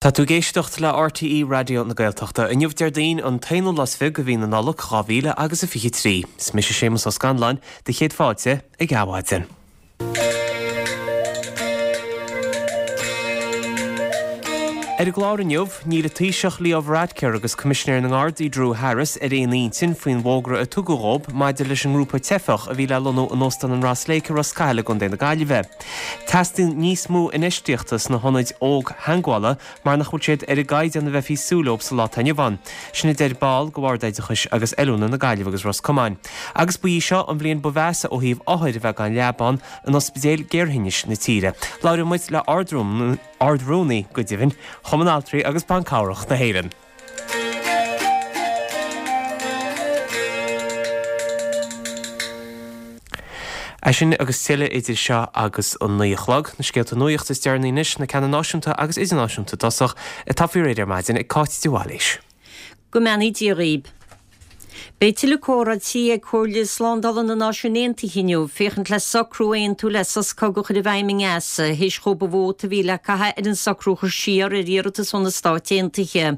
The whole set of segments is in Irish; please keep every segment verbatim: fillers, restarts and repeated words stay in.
Tá tú ag éisteacht le RTÉ Raidió na Gaeltachta. Inniu Déardaoin an t-aonú lá is fiche de mhí na Nollag dhá mhíle agus a fiche trí. Is mise Séamus Ó Scanláin, do chéad fáilte ag Adhmhaidin. Ar an gclár inniu, níl an Taoiseach Leo Varadkar agus Coimisinéir na nGardaí Drew Harris ar aon intinn faoin bhfógra a tugadh dhóibh maidir leis an ngrúpa teifeach a bhí le lonnú in Óstán an Ross Lake i Ros Cathail i gContae na Gaillimhe. Teastaíonn níos mó infheistíochta sna hionaid óg-theagmhála mar nach bhfuil siad ar an gcaighdeán a bheifí ag súil leo sa lá atá inniu ann. Sin a deir ball de Bhord Oideachais agus Oiliúna na Gaillimhe agus Ros Comáin. Agus ba í seo an bhliain ba mheasa ó thaobh othair a bheith gan leaba in ospidéil ghéarthinnis na tíre. Labhróidh muid le Ard-Rúnaí, go deimhin, Chumann Altraí agus Ban Cabhrach na hÉireann. É sin agus tuilleadh idir seo agus an naoi a chlog. Na scéalta nuachta is deireanaí anois, na ceanna náisiúnta agus idirnáisiúnta i dtosach, atá faoi réir ar maidin ag Cáit de Bhailís. Go mbeannaí Dia dhaoib. Beidh tuilleadh comhráití ag Comhairle Slándála na Náisiún Aontaithe inniu féachaint le socrú a aontú le sos cogaidh a chur i bhfeidhm i nGaza théis dhóibh an vóta a bhí le caitheamh ar an socrú a chur siar ar iarratas ó na Stáit Aontaithe.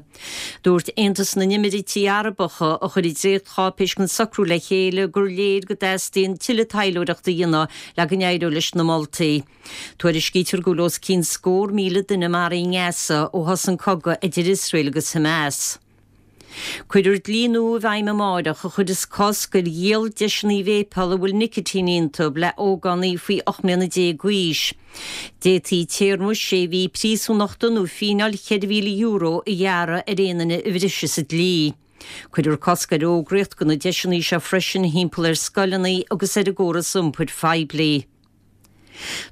Dúirt Aontas na nÉimíríochtaí Arabacha, a chuir an dréachtcháipéis den socrú le chéile, gur léir go dteastaíonn tuilleadh taidhleoireachta a dhéanamh le go n-éireodh leis na moltaí. Tuairiscítear go bhfuil os cionn scór míle duine maraithe i nGaza ó thosaigh an cogadh idir Iosrael agus Hamas. Cuirfear dlí nua i bhfeidhm amáireach a chuirfeas cosc ar dhíol deiseanna véipeála a bhfuil nicitín iontu le hógánaigh faoi ocht mbliana déag d'aois. D'fhéadfaí téarma sé mhí príosúnachta nó fíneáil cheithre mhíle euro a ghearradh ar aon duine a bhrisfeas an dlí. Cuirfear cosc ar fhógraíocht do na deiseanna seo freisin thimpeall ar scoileanna agus ar an gcóras iompair phoiblí.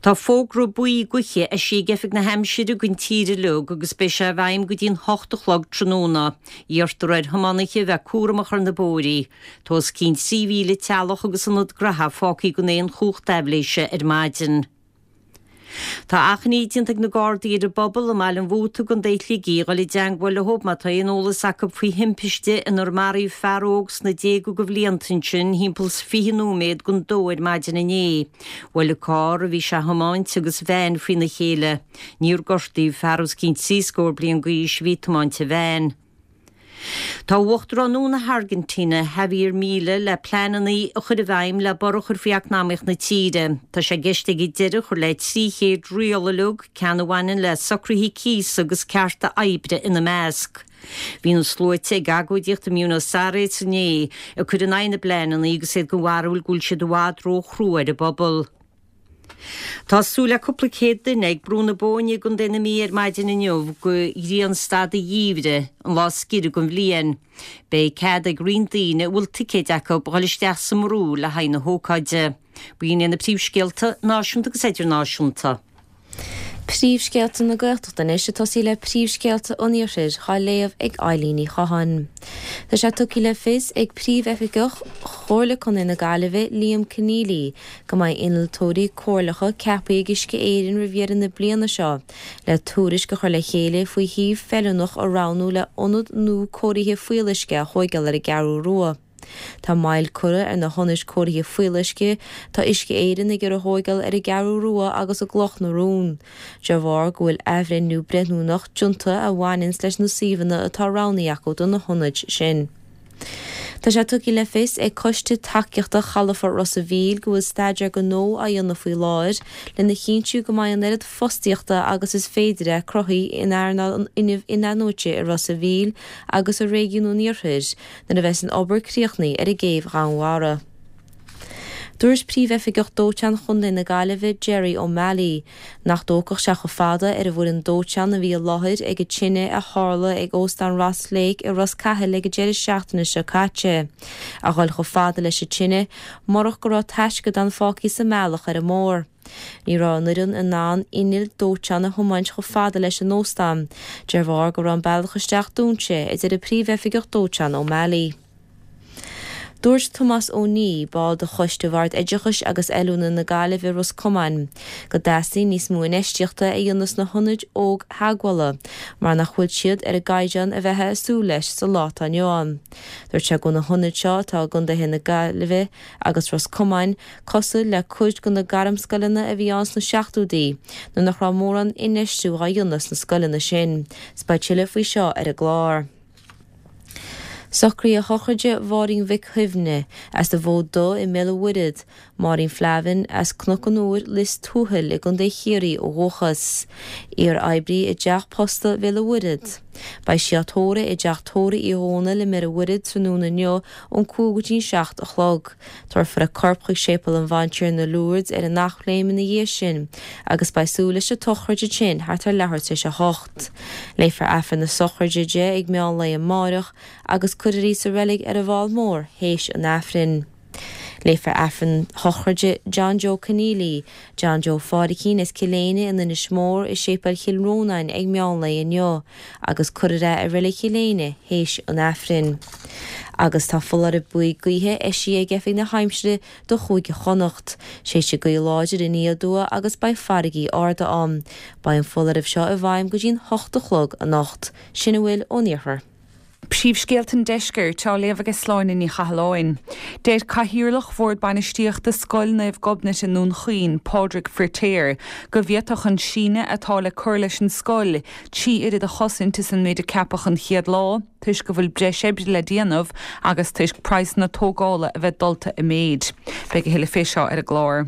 Tá fógra buí gaoithe eisithe ag Oifig na hAimsire don tír uilig agus beidh sé i bhfeidhm go dtí'n hocht a chlog tráthnóna. Iarrtar ar thiománaithe a bheith cúramach ar na bóithrí. Tá os cionn trí mhíle teaghlach agus ionad graithe fágtha gan aon chumhacht aibhléise ar maidin. Tá achainí déanta ag na Gardaí ar an bpobal i mBaile an Mhóta i gContae Shligigh a dhul i dteangmháil leo má tá aon eolas acu faoi thimpiste inar maraíodh fear óg sna déaga de bhlianta ansin thimpeall 's fiche nóiméad don dó ar maidin inné. Bhuail an carr a bhí sé a thiomáint agus veain faoina chéile. Níor gortaíodh fear os cionn trí scór bliain d'aois a bhí ag tiomáint an veain. Tá Uachtarán nua na hAirgintíne, Javier Milei, le pleananna a chur i bhfeidhm le borradh a chur faoi eacnamaíocht na tíre. Tá sé i gceist aige deireadh a chur le trí chéad riail uilig, ceann a bhaineann le socruithe cíosa agus cearta oibre ina measc. Bhí na sluaite ag agóidíocht i mBuenos Aires inné ag cur in aghaidh na bpleananna agus iad den bharúil go bhfuil siad i bhfad róchrua ar an bpobal. Tá súil le cúpla céad duine ag Brú na Bóinne i gContae na Mí ar maidin inniu go ghrianstad an gheimhridh, an lá is giorra den bhliain. Beidh cead ag roinnt daoine a bhfuil ticéid acu dhul isteach sa mbrú le haghaidh na hócáide. B'in iad na príomhscéalta, náisiúnta agus idirnáisiúnta. Príomhscéalta na Gaeltachta anois ag tosaí le príomhscéalta an Iarthair á léamh ag Eilín Ní Chatháin. Tá sé tugtha le fios ag Príomhoifigeach Chomhairle Contae na Gaillimhe, Liam Conneally, go mbeidh innealtóirí comhairleacha ceaptha ag Uisce Éireann roimh dheireadh na bliana seo le tuairisc a chur le chéile faoi shuíomh feiliúnach a roghnú le ionad nua cóirithe fuíolluisce a thóigeáil ar an gCeathrú Rua. Tá moill curtha ar na hionaid cóirithe fuíolluisce tá Uisce Éireann ag iarraidh a thóigeáil ar an gCeathrú Rua agus i gCloch na Rón, de bharr go bhfuil athbhreithniú breithiúnach déanta a bhaineanns leis na suíomhanna atá roghnaithe acu do na hionaid sin. Tá sé tugtha le fios ag Coiste Tacaíochta Chalafort Ros a' Mhíl go bhfuil staidéar gnó á dhéanamh faoi láthair lena chinntiú go mbeidh an oiread fostaíochta agus is féidir cruthaithe in earnáil an fhuinnimh in-athnuaite i Ros a' Mhíl agus i réigiún an Iarthair nuair a bheas an obair críochnaithe ar an gcéibh Dhúnmhara. Dúirt Príomhoifigeach Dóiteáin Chontae na Gaillimhe, Gerry O'Malley, nach dtógfadh sé chomh fada ar an bhfoireann dóiteáin a bhí i láthair ag an tine a tharla ag Óstán Ross Lake i Ros Cathail ag an deireadh seachtaine seo caite, a dhul chomh fada leis an tine murach go raibh taisceadán fágtha sa mbealach ar an mbóthar. Ní raibh an fhoireann in ann inneall dóiteáin a thiomáint chomh fada leis an óstán, de bharr go raibh an bealach isteach dúnta, a deir an Príomhoifigeach Dóiteáin O'Malley. Dúirt Tomás Ó Niaidh, ball de Choiste Bhord Oideachais agus Oiliúna na Gaillimhe Ros Comáin, go dteastaíonn níos mó infheistíochta a dhéanamh sna hionaid óg-theagmhála mar nach bhfuil siad ar an gcaighdeán a bheifeá ag súil leis sa lá atá inniu ann. Dúirt sé go bhfuil na hionaid seo atá i gcontaetha na Gaillimhe agus Ros Comáin cosúil le cuid de na gairmscoileanna a bhí ann sna seachtóidí nuair nach raibh mórán infheistiú á dhéanamh sna scoileanna sin. 'S beidh tuilleadh faoi seo ar an gclár. Socruithe sochraide Mháirín Mhic Shuibhne as an bhFód Dubh i mBéal an Mhuirthead, Máirín Flavin as Cnoc an Iúir, Lios Tuathail i gContae Chiarraí ó dhúchas. Iar-oibrí i dTeach Posta Bhéal an Mhuirthead. Beidh sí á tórramh i dTeach Tórraimh Uí Dhónaill i mBéal an Mhuirthead tráthnóna inniu ón cúig go dtí an seacht a chlog. Tabharfar a corp chuig Séipéal an Bhantiarna Lourdes ar an Eachléim ina dhiaidh sin agus beidh súil leis an tsochraid ansin thart ar leathuair tar éis a hocht. Léifear Aifreann na sochraide di ag meán lae amárach agus cuirfear í sa reilig ar an bhFál Mór théis an Aifrinn. Léifear Aifreann sochraide John Joe Keneally, John Joe Phádraicín as Cill Éinne in Inis Mór i Séipéal Chill Rónáin ag meán lae inniu agus cuirfear é i reilig Chill Éinne théis an Aifrinn. Agus tá foláireamh buí gaoithe eisithe ag Oifig na hAimsire do Chúige Chonnacht. Séidfidh gaoth láidir aniar aduaidh agus beidh farraigí arda ann. Beidh an foláireamh seo i bhfeidhm go dtí'n hocht a chlog anocht. Sin a bhfuil ón iarthar. Príomhscéalta an Deiscirt á léamh ag Sláine Ní Chathalláin. Deir Cathaoirleach Bhord Bainistíochta Scoil Naomh Gobnait i nDún Chaoin, Pádraig Firtéar, go bhféadfadh an síneadh atá le cur leis an scoil trí oiread a chosaint is an méid a ceapadh an chéad lá, toisc go bhfuil breis oibre le déanamh agus toisc praghsanna tógála a bheith dulta i méid. Beidh a thuilleadh fé seo ar an gclár.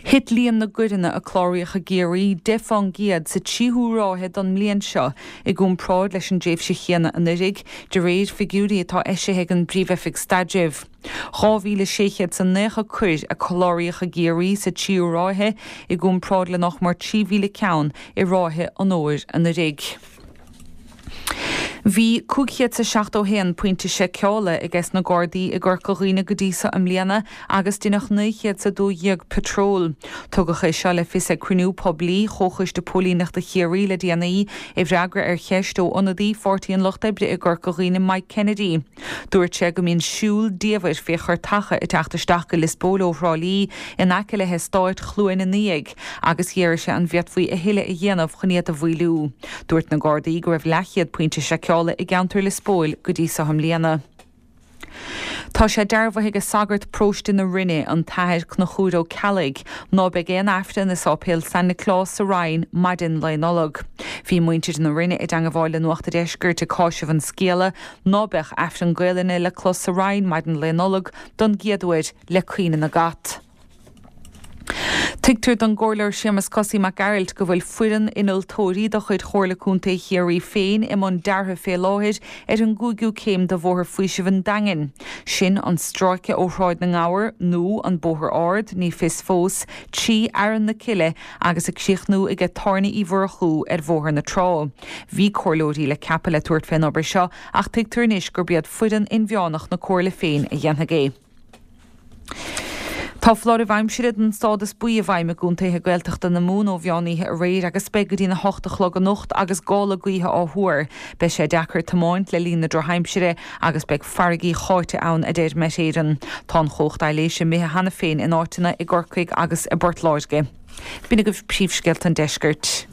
Thit líon na gcoireanna a cláraíodh i gCiarraí deich faoin gcéad sa tríú ráithe don mbliain seo i gcomparáid leis an dtréimhse chéanna anuraidh, de réir figiúirí atá eisithe ag an bPríomh-Oifig Staidrimh. Dhá mhíle sé chéad is naocha coir a cláraíodh i gCiarraí sa tríú ráithe i gcomparáid le nach mór trí mhíle ceann i ráithe an fhómhair anuraidh. Bhí cúig chéad is a seachtó haon pointe seiceála ages na Gardaí i gCorca Dhuibhne go dtí seo i mbliana agus deineadh naoi chéad is a dó dhéag patról. Tugadh é seo le fios ag cruinniú poiblí Chomhchoiste Póilíneachta Chiarraí le déanaí i bhfreagra ar cheist ó ionadaí Pháirtí an Lucht Oibre i gCorca Dhuibhne Mike Kennedy. Dúirt sé go mbíonn siúl diamhair fé churtacha ag teacht isteach go Lios Póil ó Thrá Lí in aice le heastát Chluain an Fhiaigh agus d'iarr sé an bhféadfaí a thuilleadh a dhéanamh chun iad a mhaolú. Dúirt na Gardaí go raibh leathchéad pointe seiceála i gceantar Lios Póil go dtí seo i mbliana. Tá sé dearbhaithe ag sagart paróiste na Rinne, an tAthair Conchúr Ó Ceallaigh, ná beidh aon Aifreann i Sáipéal San Nioclás sa Rinn maidin Lae Nollag. Bhí muintir na Rinne i dteangmháil le Nuacht a' Deiscirt ag cáiseamh an scéala ná beadh Aifreann Gaelainne le clos sa Rinn maidin Lae Nollag don gcéad uair le caoineadh na gcat. Tuigtear don gComhairleoir Séamus Cosaí Mac Gearailt go bhfuil foireann innealtóirí de chuid Chomhairle Contae Chiarraí féin i mbun deartha fé láthair ar an gcúigiú céim de Bhóthar Faoisimh an Daingin. Sin an stráice ó Shráid na nGabhar, nó an Bóthar Ard, ní fios fós, trí Fhearann na Cille agus ag críochnú aige Tábhairne Uí Mhurchú ar Bhóthar na Trá. Bhí comhairleoirí le ceapadh le tabhairt fén obair seo ach tuigtear anois gurb iad foireann inmheánach na Comhairle féin a dhéanfaidh é. Tá foláireamh aimsire den stádas buí i bhfeidhm i gcontaetha Gaeltachta na Mumhan ó mheán oíche aréir agus beidh go dtí'n a hocht a chlog anocht agus gála gaoithe á thuar. Beidh sé deacair tiomáint le linn na drochaimsire agus beidh farraigí cháite ann, a deir Met Éireann. Tá an chumhacht aibhléise imithe cheana féin in áiteanna i gCorcaigh agus i bPort Láirge. B'in agaibh príomhscéalta an deiscirt.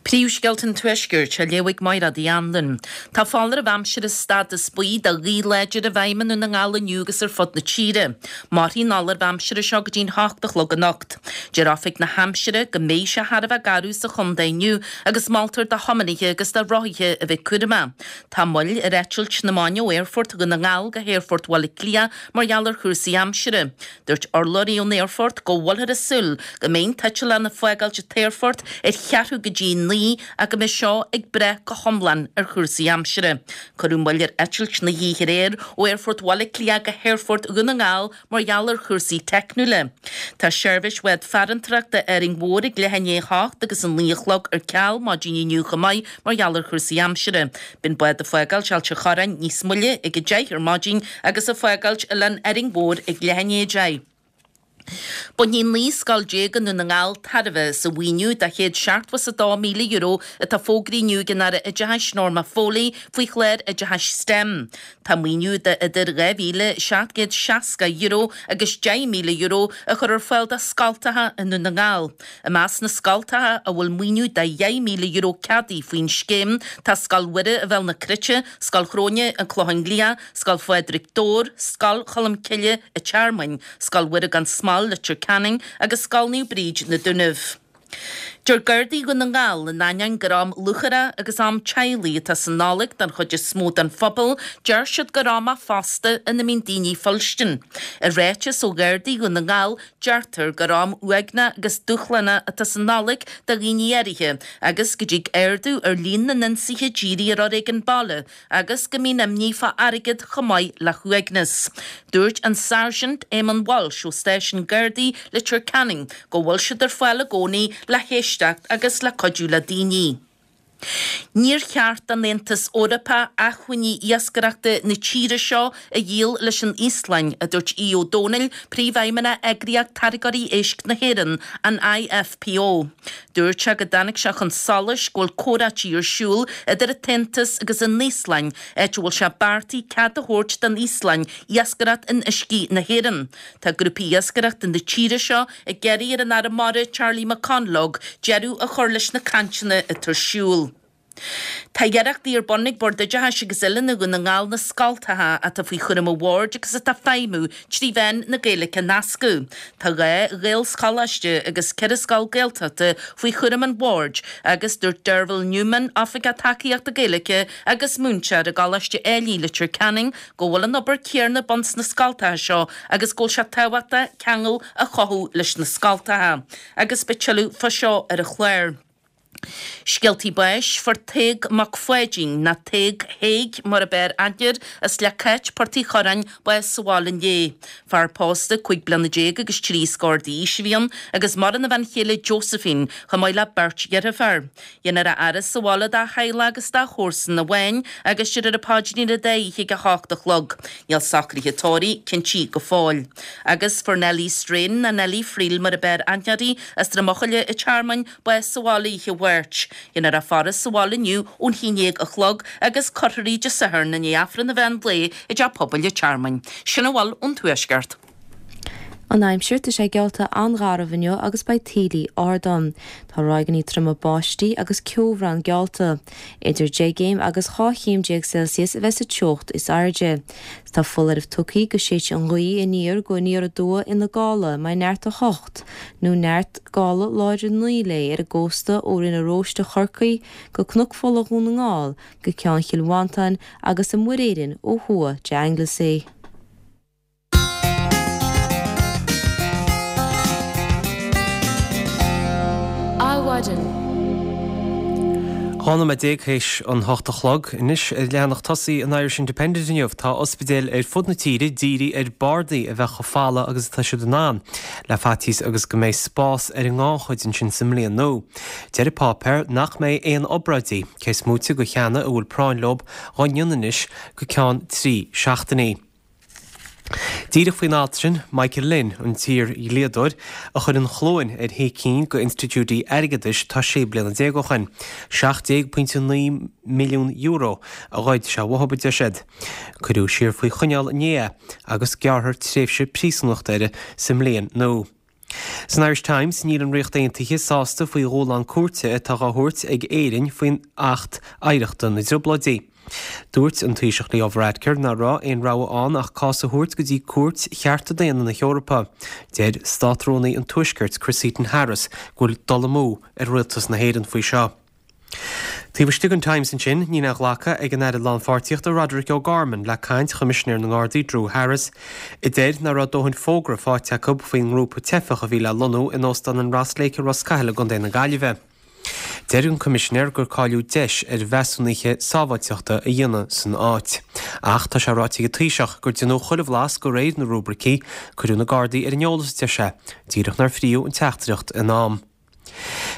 Príomhscéalta an Tuaiscirt á léamh ag Mairéad Uí Anluain. Tá foláireamh aimsire stádas buí do ghaoth láidir i bhfeidhm i nDún na nGall inniu agus ar fud na tíre. Mairfidh an foláireamh aimsire seo go dtí'n hocht a chlog anocht. Deir Oifig na hAimsire go mbeidh sé thar a bheith garbh sa chontae inniu agus moltar do thiománaithe agus do rothaithe a bheith cúramach. Tá moill ar eitilt na maidine ó Aerfort Dhún na nGall go hAerfort Bhaile Átha Cliath mar gheall ar chúrsaí aimsire. Dúirt urlabhraí ón aerfort go bhfuilthear ag súil go mbeidh an t-eitleán ag fágáilt an t-aerfort ar cheathrú go dtí a naoi ach go mbeidh seo ag brath go hiomlán ar chúrsaí aimsire. Cuireadh moill ar eitilt na hoíche aréir ó Aerfort Bhaile Átha Cliath go hAerfort Dhún na nGall mar gheall ar chúrsaí teicniúla. Tá seirbhís bhád farantóireachta Árainn Mhór ag leath i ndiaidh a hocht agus a naoi a chlog ar ceal maidin inniu chomh maith mar gheall ar chúrsaí aimsire. Beidh an bád ag fágáilt Ailt an Chorráin níos moille ag a deich ar maidin agus ag fágáilt Oileán Árainn Mhór ag leath i ndiaidh a deich. Bainfidh naoi scoil déag i nDún na nGall tairbhe as an mhaoiniú de chéad seachtó is a dó míle euro atá fógraithe inniu ag an Aire Oideachais Norma Foley faoi chlár oideachais STEM. Tá maoiniú de idir dhá mhíle seacht gcéad seasca euro agus deich míle euro á chur ar fáil do scoltacha i nDún na nGall. I measc na scoltacha a bhfuil maoiniú de dheich míle euro ceadaithe faoin scéim tá Scoil Mhuire i Bhéal na Cruite, Scoil Chróine, An Clochán Liath, Scoil Phádraig, Dobhar, Scoil Cholmcille an Tearmainn, Scoil Mhuire gan Smál, Leitir Ceanainn agus Scoil Naomh Bríd, Na Dúnaibh. Deir Gardaí Dhún na nGall, in ainneoin gur am lúcháire agus am teaghlaigh atá sa Nollaig don chuid is mó den phobal, deir siad gur am é fosta ina mbíonn daoine fuilstin. I ráiteas ó Ghardaí Dhún na nGall, deirtear gur am uaigneach agus dúshlánach atá sa Nollaig do dhaoine áirithe agus go dtig ardú ar líon na n-ionsaithe dírithe ar fhoréigean baile agus go mbíonn imní fá airgead chomh maith le huaigneas. Dúirt an Sáirsint Éamonn Walsh ó Stáisiún Gardaí Leitir Ceanainn go bhfuil siad ar fáil i gcónaí le héisteacht agus le cuidiú le daoine. Níor cheart don Aontas Eorpach acmhainní iascaireachta na tíre seo a dhíol leis an Íoslainn, a dúirt Aodh Ó Domhnaill, Príomhfheidhmeannach Eagraíocht Táirgeoirí Éisc na hÉireann, an IFPO. Dúirt sé go dtáinig sé chun solais go bhfuil comhráití ar siúl idir an tAontas agus an Íoslainn, áit a bhfuil sé beartaithe cead a thabhairt don Íoslainn iascaireacht in uiscí na hÉireann. Tá grúpaí iascaireachta na tíre seo ag iarraidh ar an Aire Mara Charlie McConalogue deireadh a chur leis na cainteanna atá ar siúl. Tá iarrachtaí ar bun ag Bord Oideachais agus Oiliúna Dhún na nGall na scoltacha atá faoi chúram an bhoird agus atá ag feidhmiú trí mheán na Gaeilge a nascadh. Tá dhá Ghaelscholáiste agus ceithre scoil Gaeltachta faoi chúram an bhoird agus dúirt Derval Newman, Oifigeach Tacaíochta Gaeilge agus múinteoir i gColáiste Ailigh, Leitir Ceanainn, go bhfuil an obair chéanna ar bun sna scoltacha seo agus go bhfuil sé tábhachtach ceangal a chothú leis na scoltacha. Agus beidh tuilleadh fá seo ar an chlár. Scéaltaí báis, Fuair Tadhg Mac Pháidín, nó Tadhg Thaidhg mar ab fhearr aithne air, as Leac Cáit, Port Uí Churráin, bás sa bhaile inné. Fear pósta cúig bliana déag agus trí scór d'aois a bhí ann agus maireann a bhean chéile Josephine chomh maith le beirt dheirfiúr. Dhéanfar a fhaire sa bhaile dá theaghlach agus dá chomharsana amháin agus déarfar an paidrín ar an dá oíche ag a hocht a chlog. Níl socruithe tórraimh cinntí go fóill. Agus fuair Nellie Strain, nó Nellie Friel mar ab fhearr aithne uirthi, as Droim Eochaille an Tearmainn, bás sa bhaile oíche Mháirt. Dhéanfar a faire sa bhaile inniu ón haon déag a chlog agus cuirfear í Dé Sathairn i ndiaidh Aifreann an mheán lae i dTeach Pobail an Tearmainn. Sin a bhfuil ón Tuaisceart. An aimsir, tá sé geallta an-gharbh inniu agus beidh taoillí ard ann. Tá ráigeanna troma báistí agus ceobhrán geallta. Idir deich gcéim agus dhá chéim déag Celsius a bheas sa teocht is airde. Tá foláireamh tugtha go séidfidh an ghaoth aniar go aniar aduaidh ina gála mbeidh neart a hocht nó neart gála láidir naoi léi ar an gcósta ó Rinn an Róiste Chorcaí go Cnoc Fola Dhún na nGall go Ceann Chill Mhantáin agus i Muir Éireann ó thuaidh de Anglesey. Adhmhaidin. Dhá nóiméad déag théis an hocht a chlog anois ar leathanach tosaigh an Irish Independent inniu tá ospidéil ar fud na tíre d'iarraidh ar bardaí a bheith chomh folamh agus atá siad in ann, le faitíos agus go mbeidh spás ar an ngannchuid ansin sa mbliain nua. Deir an páipéar nach mbeidh aon obráidí, cé is móite de cheanna a bhfuil práinn leo, dhá ndéanamh anois go ceann trí seachtainí. Díreach faoin alt sin, Michael Lynn, an t-iar-dhlíodóir, a chuir an chluain ar shé cinn d'institiúidí airgeadais tá sé bliana déag ó shin. seacht déag pointe naoi milliún euro a ghoid sé uathu, a deir siad. Cuireadh siar faoi choinneáil inné é agus gearrfar tréimhse príosúnachta air sa mbliain nua. San Irish Times, níl an Ríocht Aontaithe sásta faoi dhúshlán cúirte atá á thabhairt ag Éirinn faoin Acht Oidhreachta na dTrioblóidí. Dúirt an Taoiseach Leo Varadkar nach raibh aon rogha ann ach cás a thabhairt go dtí Cúirt Chearta Daonna na hEorpa. Deir Státrúnaí an Tuaiscirt Chris Heaton-Harris go bhfuil dul amú ar rialtas na hÉireann faoi seo. Taobh istigh den Times ansin, níl aon ghlacadh ag an Aire Lánpháirtíochta Roderic O'Gorman le caint Choimisinéir na nGardaí Drew Harris, a deir nach raibh dóthain fógra faighte acu faoin ngrúpa teifeach a bhí le lonnú in Óstán an Ross Lake i Ros Cathail i gContae na Gaillimhe. Deir an Coimisinéir gur cailleadh deis ar mheasúnuithe sábháilteachta a dhéanamh san áit. Ach tá sé ráite ag an Taoiseach gur déanadh chuile bhlas de réir na rúibricí, cuireadh na Gardaí ar an eolas, a deir sé, díreach nár frítheadh an teachtaireacht in am.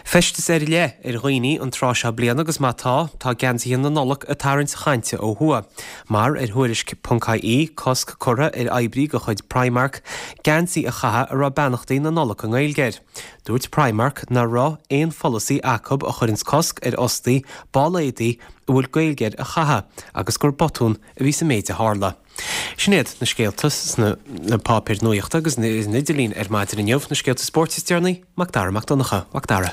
Feisteas ar leith ar dhaoine an tráth seo bliana agus má tá, tá geansaithe na Nollag ag tarraingt chainte ó thuaidh. Mar ar Thuairisc ponc ie, cosc curtha ar oibrí de chuid Primark geansaí a chaitheamh a raibh beannachtaí na Nollag i nGaeilge air. Dúirt Primark nach raibh aon pholasaí acu a chuireanns cosc ar fhostaí ball éadaí a bhfuil Gaeilge air a chaitheamh agus gur botún a bhí sa méid a tharla. Sin iad na scéalta sna páipéir nuachta agus ar an idirlíon ar maidin inniu, na scéalta spóirt is deireanaí, Mac Dara Mac Donncha. Mac Dara.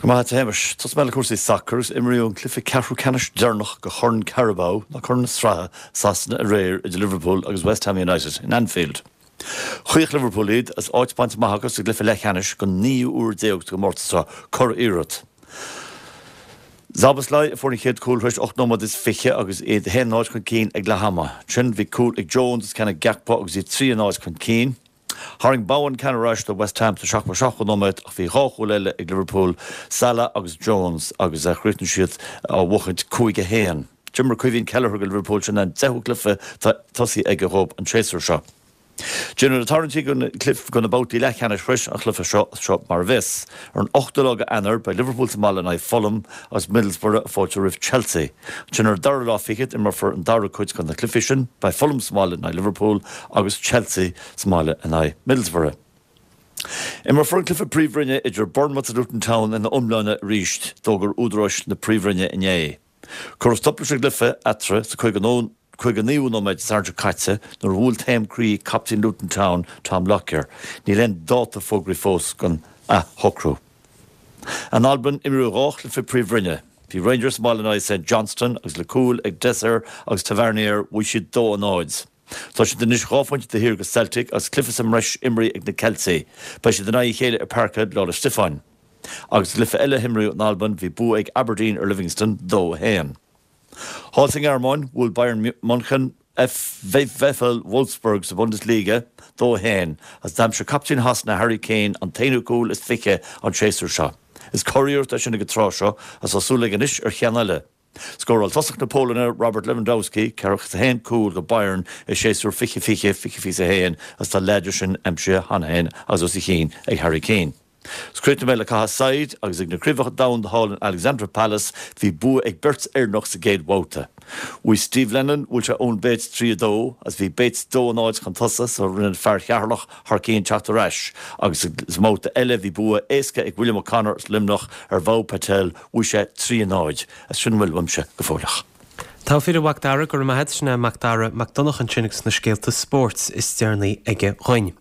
Go maith a Shéamais. Tosóidh mé le cúrsaí sacair agus imríodh an cluiche ceathrú ceannais deireanach de Chorn Carabao ná Corn na Sraithe Sasana aréir idir Liverpool agus West Ham United in Anfield. Chaoch Liverpool iad agus áit bainte amach acu sa gcluiche leathcheannais don naoú huair déag sa gcomórtas seo, curiarracht. Szoboszlai a fuair an chéad chúl tar éis ocht nóiméad is fiche agus iad a haon náid chun cinn ag leath ama. Ansin bhí cúl ag Jones is ceann ag Gakpo agus iad trí a náid chun cinn. Tharraing Bowen ceann ar ais do West Ham sa seachtó seachtú nóiméad ach bhí dhá chúl eile ag Liverpool, Salah agus Jones agus chríochnaigh siad á bhuachaint cúig a haon. D'imir Caoimhín Kelleher do Liverpool, sin an deichiú cluiche tosaigh aige dhóibh an séasúr seo. Déanadh na tarraingtí do na babhtaí leathcheannais tar éis an chluiche seo seo mar a bheas. Ar an ochtú lá de Eanáir beidh Liverpool sa mbaile in aghaidh Fulham agus Middlesbrough ag fáiltiú roimh Chelsea. Ansin ar an dara lá fichead imreofar an dara cuid de na cluichí sin, beidh Fulham sa mbaile in aghaidh Liverpool agus Chelsea sa mbaile in aghaidh Middlesbrough. Imreofar an cluiche Príomhroinne idir Bournemouth agus Luton Town ina iomláine arís, d'fhógair údaráis na Príomhroinne inné. Cuireadh stop leis an gcluiche eatarthu sa caoga naoú nóiméad Dé Sathairn seo caite nuair a bhuail taom croí captaen Luton Town, Tom Lockyer. Níl aon dáta fógraithe fós don athshocrú. In Albain, imríodh dhá chluiche Príomhroinne. Bhí Rangers sa mbaile in aghaidh St Johnstone agus le cúil ag Dessers agus Tavernier bhuaigh siad dó a náid. Tá siad anois dhá phointe taobh thiar de Celtic agus cluiche sa mbreis imrithe ag na Ceiltigh. Beidh siad in aghaidh a chéile i Parkhead Lá 'le Stiofáin. Agus sa gcluiche eile a himríodh in Albain bhí bua ag Aberdeen ar Livingston dó a haon. Thall sa nGearmáin, bhuail Bayern München VfL Wolfsburg sa Bundesliga dó a haon agus d'aimsigh captaen Shasana Harry Kane an t-aonú cúl is fiche an séasúr seo. Is curiarracht é sin ag an tráth seo agus tá súil aige anois ar cheann eile. Scóráil tosach na Polainne Robert Lewandowski ceathracha is a haon cúl do Bayern i séasúr fiche fiche, fiche fiche a haon agus tá leath de sin aimsithe cheana féin agus os a chionn ag Harry Kane. Críochnóidh mé le cath saighead agus ag na Craobhacha Domhanda thall in Alexandra Palace bhí bua ag beirt Éireannach sa gcéad bhabhta. Bhuaigh Steve Lennon, bhuail sé Eoin Bates trí a dó agus bhí Bates dó a náid chun tosaigh so rinne fear Cheatharlach thar cionn teacht ar ais agus sa mbabhta eile bhí bua éasca ag William O'Connor as Luimneach ar Bhau Patel, bhuaigh sé trí a náid. Is sin a bhfuil uaimse go fóilleach. Tá fíor a Mhac Dara, go raibh maith agat, sin é Mac Dara Mac Donncha ansin agus na scéalta spóirt is deireanaí aige dhuinn.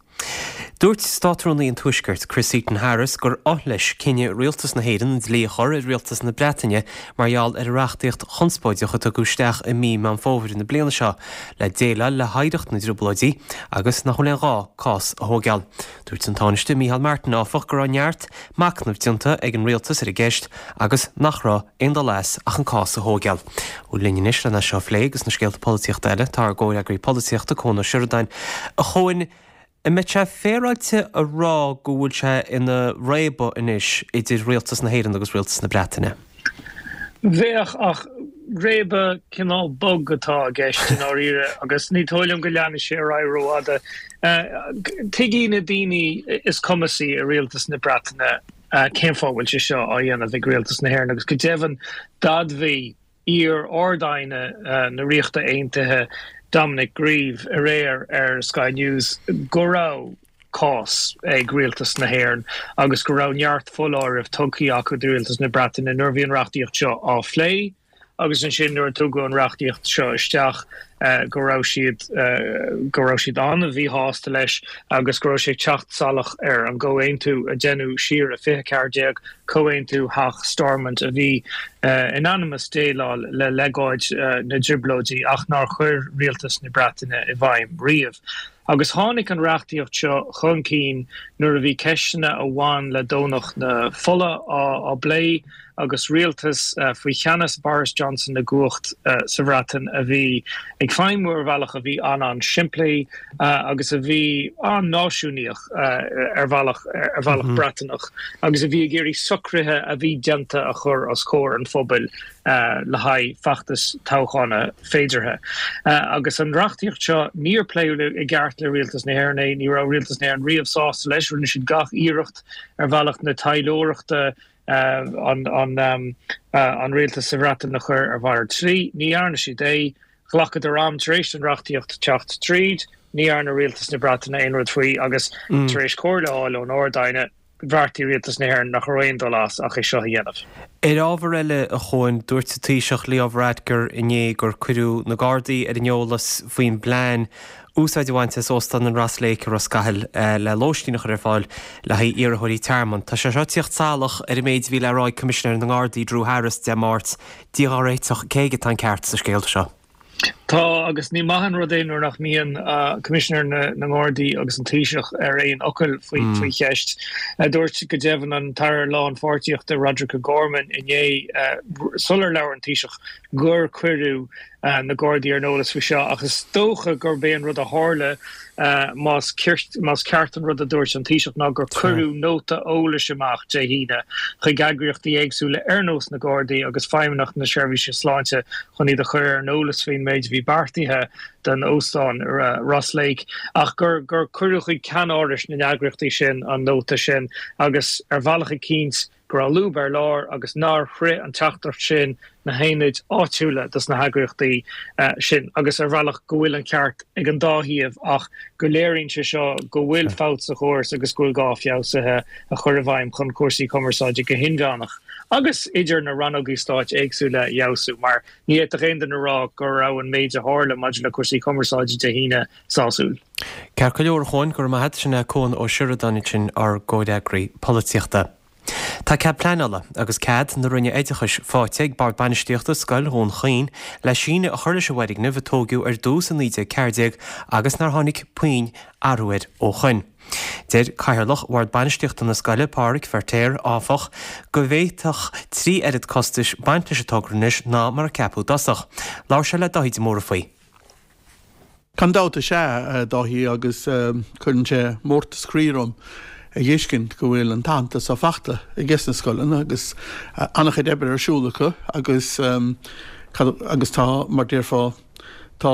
Dúirt Státrúnaí an Tuaiscirt, Chris Heaton Harris, gur oth leis cinneadh Rialtas na hÉireann an dlí a chur ar Rialtas na Breataine mar gheall ar an reachtaíocht chonspóideach a tugadh isteach i mí Meán Fómhair na bliana seo le déileáil le hoidhreacht na dTrioblóidí agus nach bhfuil aon ghá cás a thógáil. Dúirt an Tánaiste Micheál Martin, áfach, go raibh neart machnaimh déanta ag an rialtas ar an gceist agus nach raibh aon dul as ach an cás a thógáil. Ó linn anois lena seo a phlé agus na scéalta polaitíochta eile tá ár gcomhfhreagraí polaitíochta Cuan Ó Seireadáin. A Chuain, An mbeadh sé féaráilte a rá go bhfuil sé ina réabadh anois idir rialtas na hÉireann agus rialtas na Breataine? Bheadh, ach réabadh cineál bog atá i gceist i ndáiríre agus ní dóigh liom go leanfaidh sé ar aghaidh rófhada. Tuigfidh na daoine is cumasaí i rialtas na Breataine cén fáth a bhfuil sé seo á dhéanamh ag rialtas na hÉireann agus go deimhin d'admhaigh iar-Ard-Aighne na Ríochta Aontaithe Dominic Grieve aréir ar Sky News go raibh cás ag rialtas na hÉireann agus go raibh neart foláireamh tugtha acu do rialtas na Breataine nuair a bhí an reachtaíocht seo á phlé agus ansin nuair a tugadh an reachtaíocht seo isteach go raibh siad go raibh siad an-mhíshásta leis agus go raibh sé ag teacht salach ar an gcomhaontú a deineadh siar i fiche ceathair déag, Comhaontú Theach Stormont a bhí in ainm is déileáil le legáid na dTrioblóidí ach nár chuir rialtas na Breataine i bhfeidhm riamh. Agus tháinig an reachtaíocht seo chun cinn nuair a bhí ceisteanna a bhain le Domhnach na Fola á bplé agus rialtas faoi cheannas Boris Johnson i gcumhacht sa Bhreatain a bhí ag ag feidhmiú ar bhealach a bhí an-an-simplí agus a bhí an-náisiúnaíoch ar bhealach ar bhealach Breataineach agus a bhí ag iarraidh socruithe a bhí déanta a chur os comhair an phobail le haghaidh feachtas toghchána féideartha. Agus an reachtaíocht seo, níor pléadh i gceart le Rialtas na hÉireann é, ní raibh Rialtas na hÉireann riamh sásta leis, rinne siad gach iarracht ar bhealach na taidhleoireachta an rialtas sa Bhreatain a chur ar mhalairt slí. Ní dhearna siad é. Ghlacadar am tar éis don reachtaíocht teacht tríd. Ní dhearna rialtas na Breataine aon rud faoi agus tar éis comhairle a fháil ón Ard-Aighne, bheartaigh rialtas na hÉireann nach raibh aon dul as ach é seo a dhéanamh. Ar ábhar eile, a Chuain, dúirt an Taoiseach Leo Varadkar inné gur cuireadh na Gardaí ar an eolas faoin bplean úsáid a bhaint as Óstán an Ross Lake i Ros Cathail le lóistín a chur ar fáil le haghaidh iarrthóirí tearmainn. Tá sé seo ag tíocht salach ar an méid a bhí le rá ag Coimisinéir na nGardaí Drew Harris Dé Máirt, Dia dhár réiteach, cé aige atá an ceart sa scéal seo? Tá, agus ní maith an rud é nuair nach mbíonn Coimisinéir na nGardaí agus an Taoiseach ar aon fhocal faoi cheist. Dúirt go deimhin an tAire Lánpháirtíochta Roderic O'Gorman inné, sular labhair an Taoiseach, gur cuireadh na Gardaí ar an eolas faoi seo ach is dócha gurb é an rud a tharla, más más ceart an rud a dúirt an Taoiseach, ná gur cuireadh nóta eolais amach Dé hAoine chuig eagraíochtaí éagsúla ar nós na Gardaí agus Feidhmeannacht na Seirbhíse Sláinte chun iad a chur ar an eolas faoin méid a bhí beartaithe don óstán Ross Lake ach gur gur cuireadh chuig ceannárais na n-eagraíochtaí sin an nóta sin agus ar bhealach eicínt go raibh lúb ar lár agus nár shroich an teachtaireacht sin na haonaid áitiúla dos na heagraíochtaí sin agus ar bhealach go bhfuil an ceart ag an dá thaobh ach go léiríonn sé seo go bhfuil fabht sa chóras agus go bhfuil gá feabhsuithe a chur i bhfeidhm chun cúrsaí cumarsáide go hinmheánach agus idir na rannógaí stáit éagsúla a fheabhsú mar ní fhéadfadh aon duine a rá go raibh an méid a tharla maidir le cúrsaí cumarsáide Dé hAoine sásúil. Ceart go leor, a Chuain, go raibh maith agat. Sin é Cuan Ó Seireadáin ansin, ár gcomhfhreagraí polaitíochta. Tá cead pleanála agus cead na Roinne Oideachais faighte ag Bord Bainistíochta Scoil Dhún Chaoin le síneadh a chur leis an bhfoirgneamh a tóigeadh ar dtús i naoi déag ceathair déag agus nár tháinig puinn athrú air ó shoin. Deir Cathaoirleach Bhord Bainistíochta na scoile, Pádhraic Feirtéar, áfach, go bhféadfadh trí oiread costais baint leis an togra anois ná mar a ceapadh i dtosach. Labhair sé le Dáithí de Mórdha faoi. Gan dabht is ea, a Dháithí, agus cuireann sé mórtas croí orm a dh'fheiscint go bhfuil an t-aitheantas seo fachta ages na scoileanna agus an-chuid oibre ar siúl acu agus agus tá, mar déarfá, tá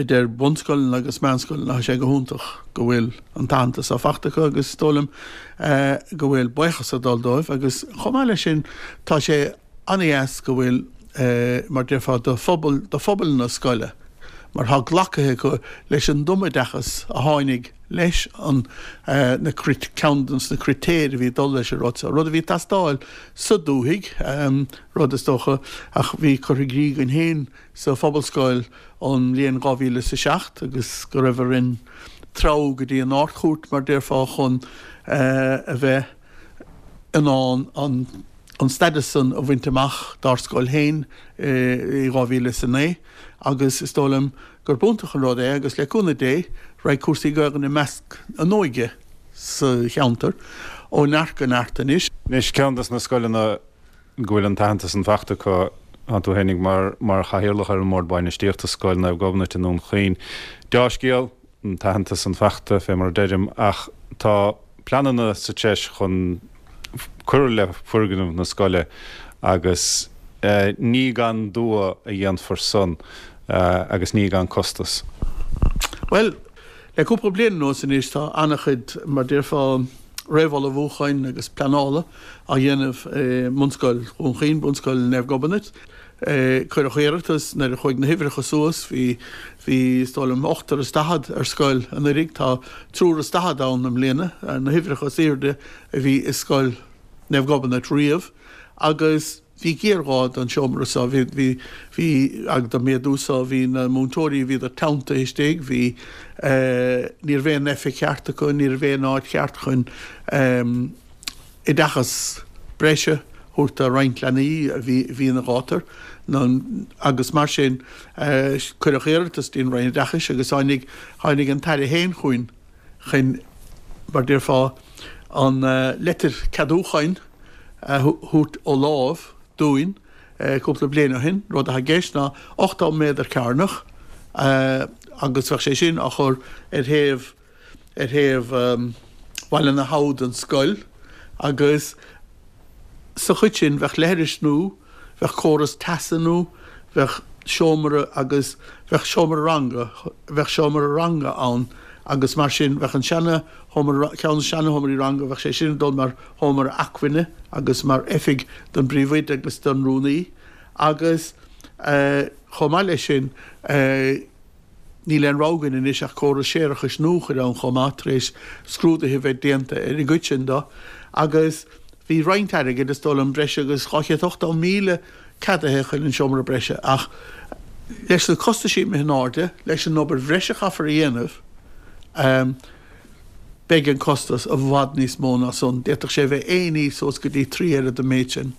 idir bunscoileanna agus meánscoileanna, tá sé go hiontach go bhfuil an t-aitheantas seo fachta acu agus is dóigh liom go bhfuil buíochas ag dul dóibh agus chomh maith leis sin tá sé an-dheas go bhfuil, mar déarfá, do phobal, do phobal na scoile, mar tá glactha acu leis an dtumoideachas a tháinig leis an, na, ceann de na critéir a bhí ag dul leis an rud seo, rud a bhí ag teastáil sa dúthaigh, rud is dócha, ach bhí curtha i gcrích againn féin sa Phobalscoil ón mbliain dhá mhíle is a seacht agus go raibh orainn treabhadh go dtí an Ard-Chúirt, mar déarfá, chun a bheith in ann an an stadas san a bhaint amach dár scoil féin i dhá mhíle is a naoi agus is dóigh liom gurb iontach an rud é agus le cúnamh Dé raghaidh cúrsaí Gaelainne i measc an óige sa cheantar ó neart go neart anois. Anois ceann des na scoileanna go bhfuil an t-aitheantas san fachta acu, tá tú fhéinig mar mar chathaoirleach ar an mBord Bainistíochta, Scoil Naomh Gobnait i nDún Chaoin. Deá-scéal, an t-aitheantas san fachta fé mar a deirim ach tá pleananna sa treis chun cur le foirgneamh na scoile agus ní gan dua a dhéanfar san agus ní gan costas. Bhuel, le cúpla bliain anuas anois tá an-chuid, mar déarfá, réamhullmhúcháin agus pleanála á dhéanamh i mBunscoil Dhún Chaoin, Bunscoil Naomh Gobnait. Cuireadh iarratas nuair a chuaigh na huimhreacha suas, bhí, bhí, is dóigh liom, ochtar is daichead ar scoil anuraidh, tá triúr is daichead ann i mbliana, na huimhreacha is airde a bhí i scoil Naomh Gobnait riamh agus bhí géarghá don seomra seo, bhí, bhí, bhí, agus don méadú seo, bhí na múinteoirí, bhíodar teanntaithe istigh, bhí, ní raibh aon oifig cheart acu, ní raibh aon áit cheart chun oideachas breise a thabhairt do roinnt leanaí a bhí ina ghátar agus mar sin cuireadh iarratas dtí'n Roinn Oideachais agus tháinig tháinig an tAire féin chugainn chun, mar déarfá, an leitir ceadúcháin a thabhairt ó láimh dúinn cúpla bliain ó shin. Rud atá i gceist ná ochtó méadar cearnach agus bheadh sé sin á chur ar thaobh ar thaobh Bhaile na hAbha den scoil agus sa chuid sin bheadh leithris nua, bheadh córas teasa nua, bheadh seomra agus bheadh seomra ranga, bheadh seomra ranga ann agus mar sin bheadh an seana sheomra, ceann de na seana-sheomraí ranga, bheadh sé sin ag dul mar sheomra acmhainne agus mar oifig don bpríomhoide agus don rúnaí agus chomh maith leis sin níl aon rogha againn anois ach córas séarachais nua a chur ann chomh maith tar éis scrúduithe a bheith déanta ar an gcuid sin de agus bhí roinnt airgid, is dóigh liom breis agus dhá chéad ochtó míle ceadaithe chun an seomra breise ach leis na costaisí imithe in airde, leis an obair bhreise a chaithfear a dhéanamh, beidh an costas i bhfad níos mó ná san. D'fhéadfadh sé a bheith aon ní suas go dtí trí oiread an méid sin.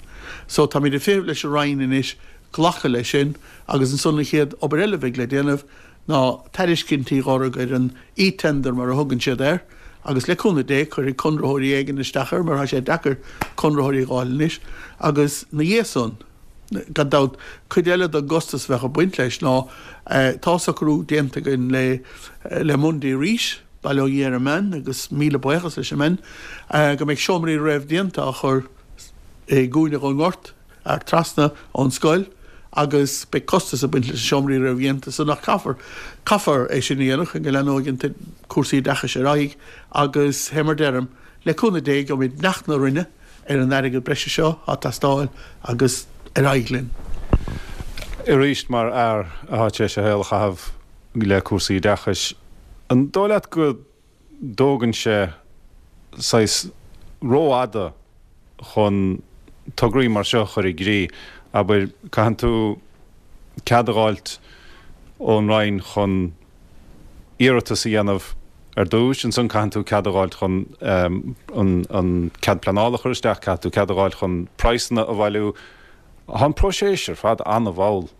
So táimid ag feitheamh leis an Roinn anois glacadh leis sin agus ansan an chéad obair eile a bheidh le déanamh ná tairiscintí a lorg ar an e-tender mar a thugann siad air agus le cúnamh Dé cuirfidh conraitheoirí éigin isteach air mar tá sé deacair conraitheoirí a dh'fháil anois agus 'na dhiaidh san, gan dabht, cuid eile den gcostas a bheadh ag baint leis ná tá socrú déanta againn le le Mondi arís, bail ó Dhia ar an mbean agus míle buíochas leis an mbean, go mbeidh seomraí réamhdhéanta á chur i gcúinne dhon ngort, ar trasna ón scoil agus beidh costas ag baint leis na seomraí réamhdhéanta san ach caithfear, caithfear é sin a dhéanamh chun go leanóidh an cúrsaí oideachais ar aghaidh agus fé mar deirim, le cúnamh Dé gheobhaimid beannacht na Roinne ar an airgead breise seo atá ag teastáil agus ar aghaidh linn. Arís, mar fhear atá tar éis a shaol a chaitheamh le cúrsaí oideachais, an dóigh leat go dtógann sé saghas rófhada chun tograí mar seo a chur i gcrích. Abair, caitheann tú cead a dh'fháilt ón Roinn chun iarratas a dhéanamh ar dtúis, ansan caitheann tú cead a dh'fháilt chun an cead pleanála a chur isteach, caithfidh tú cead a dh'fháilt chun praghsanna a bhailiú. Tá an próiseas ar fad an-mhall.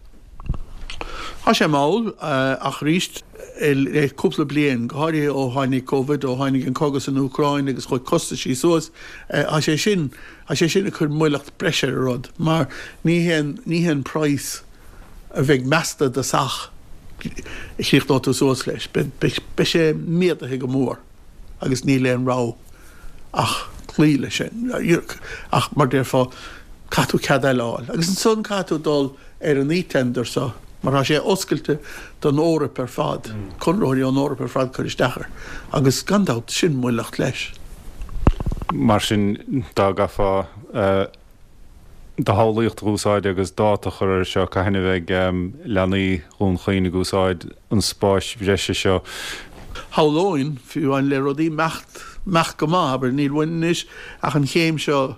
Tá sé mall, ach arís, le cúpla bliain, go háirithe ó tháinig Covid, ó tháinig an cogadh san Úcráin agus chuaigh costaisí suas, tá sé sin, tá sé sin ag cur moilleacht breise ar an rud, mar ní haon, ní haon praghas a bheidh measta i dtosach a chríochnóidh tú suas leis. Beidh, beidh sé méadaithe go mór agus níl aon rogha ach cloí leis sin. Ach mar déarfá, caithfidh tú cead eile a fháil. Agus ansan caithfidh tú dul ar an e-tender so, mar tá sé oscailte don Eoraip ar fad, conraitheoirí ón Eoraip ar fad cur isteach air. Agus gan dabht, sin moilleacht leis. Mar sin, dá gcaithfeá do shamhlaíocht a úsáid agus dáta a chur air seo, cathain a bheidh leanaí Dhún Chaoin ag úsáid an spáis bhreise seo? Shamhlóinn, fiú amháin le rudaí imeacht, imeacht go maith, abair, níl uainn anois ach an chéim seo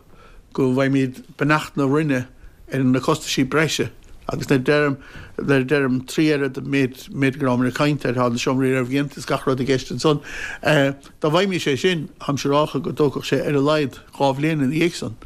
go bhfaighimid beannacht na Roinne ar na costaisí breise agus nuair a deirim, nuair a deirim trí oiread an méid, méid go rabhamar ag caint air, tá na seomraí réamhdhéanta is gach rud i gceist ansan. Dá bhfaighimis é sin, táimse ag rá go dtógfadh sé ar a laghad dhá bhliain ina dhiaidh san.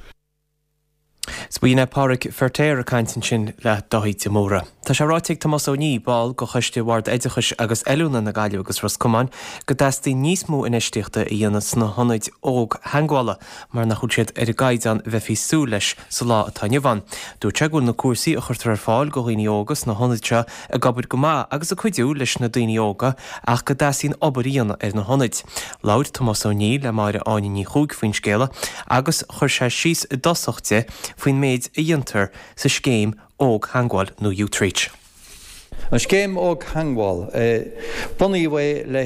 'S b'in é Pádraig Feirtéar ag caint ansin le Dáithí de Mórdha. Tá sé ráite ag Tomás Ó Nídh, ball de Choiste Bhord Oideachais agus Oiliúna na Gaillimhe agus Ros Comáin, go dteastaíonn níos mó infheistíochta a dhéanamh sna hionaid ógtheagmhála mar nach bhfuil siad ar an gcaighdeán a bheifí súil leis sa lá atá inniu ann. Dúirt sé go bhfuil na cúrsaí a chuirtear ar fáil do dhaoine óga sna hionaid seo ag obair go maith agus ag cuidiú leis na daoine óga ach go dteastaíonn obair a dhéanamh ar na hionaid. Labhair Tomás Ó Nídh le Máire Áine Ní Chuaig faoin scéala agus chuir sé síos i dtosach di faoin méid a dhéantar sa scéim Ógtheagmháil nó Youthreach. An scéim Ógtheagmháil, bunaíodh é le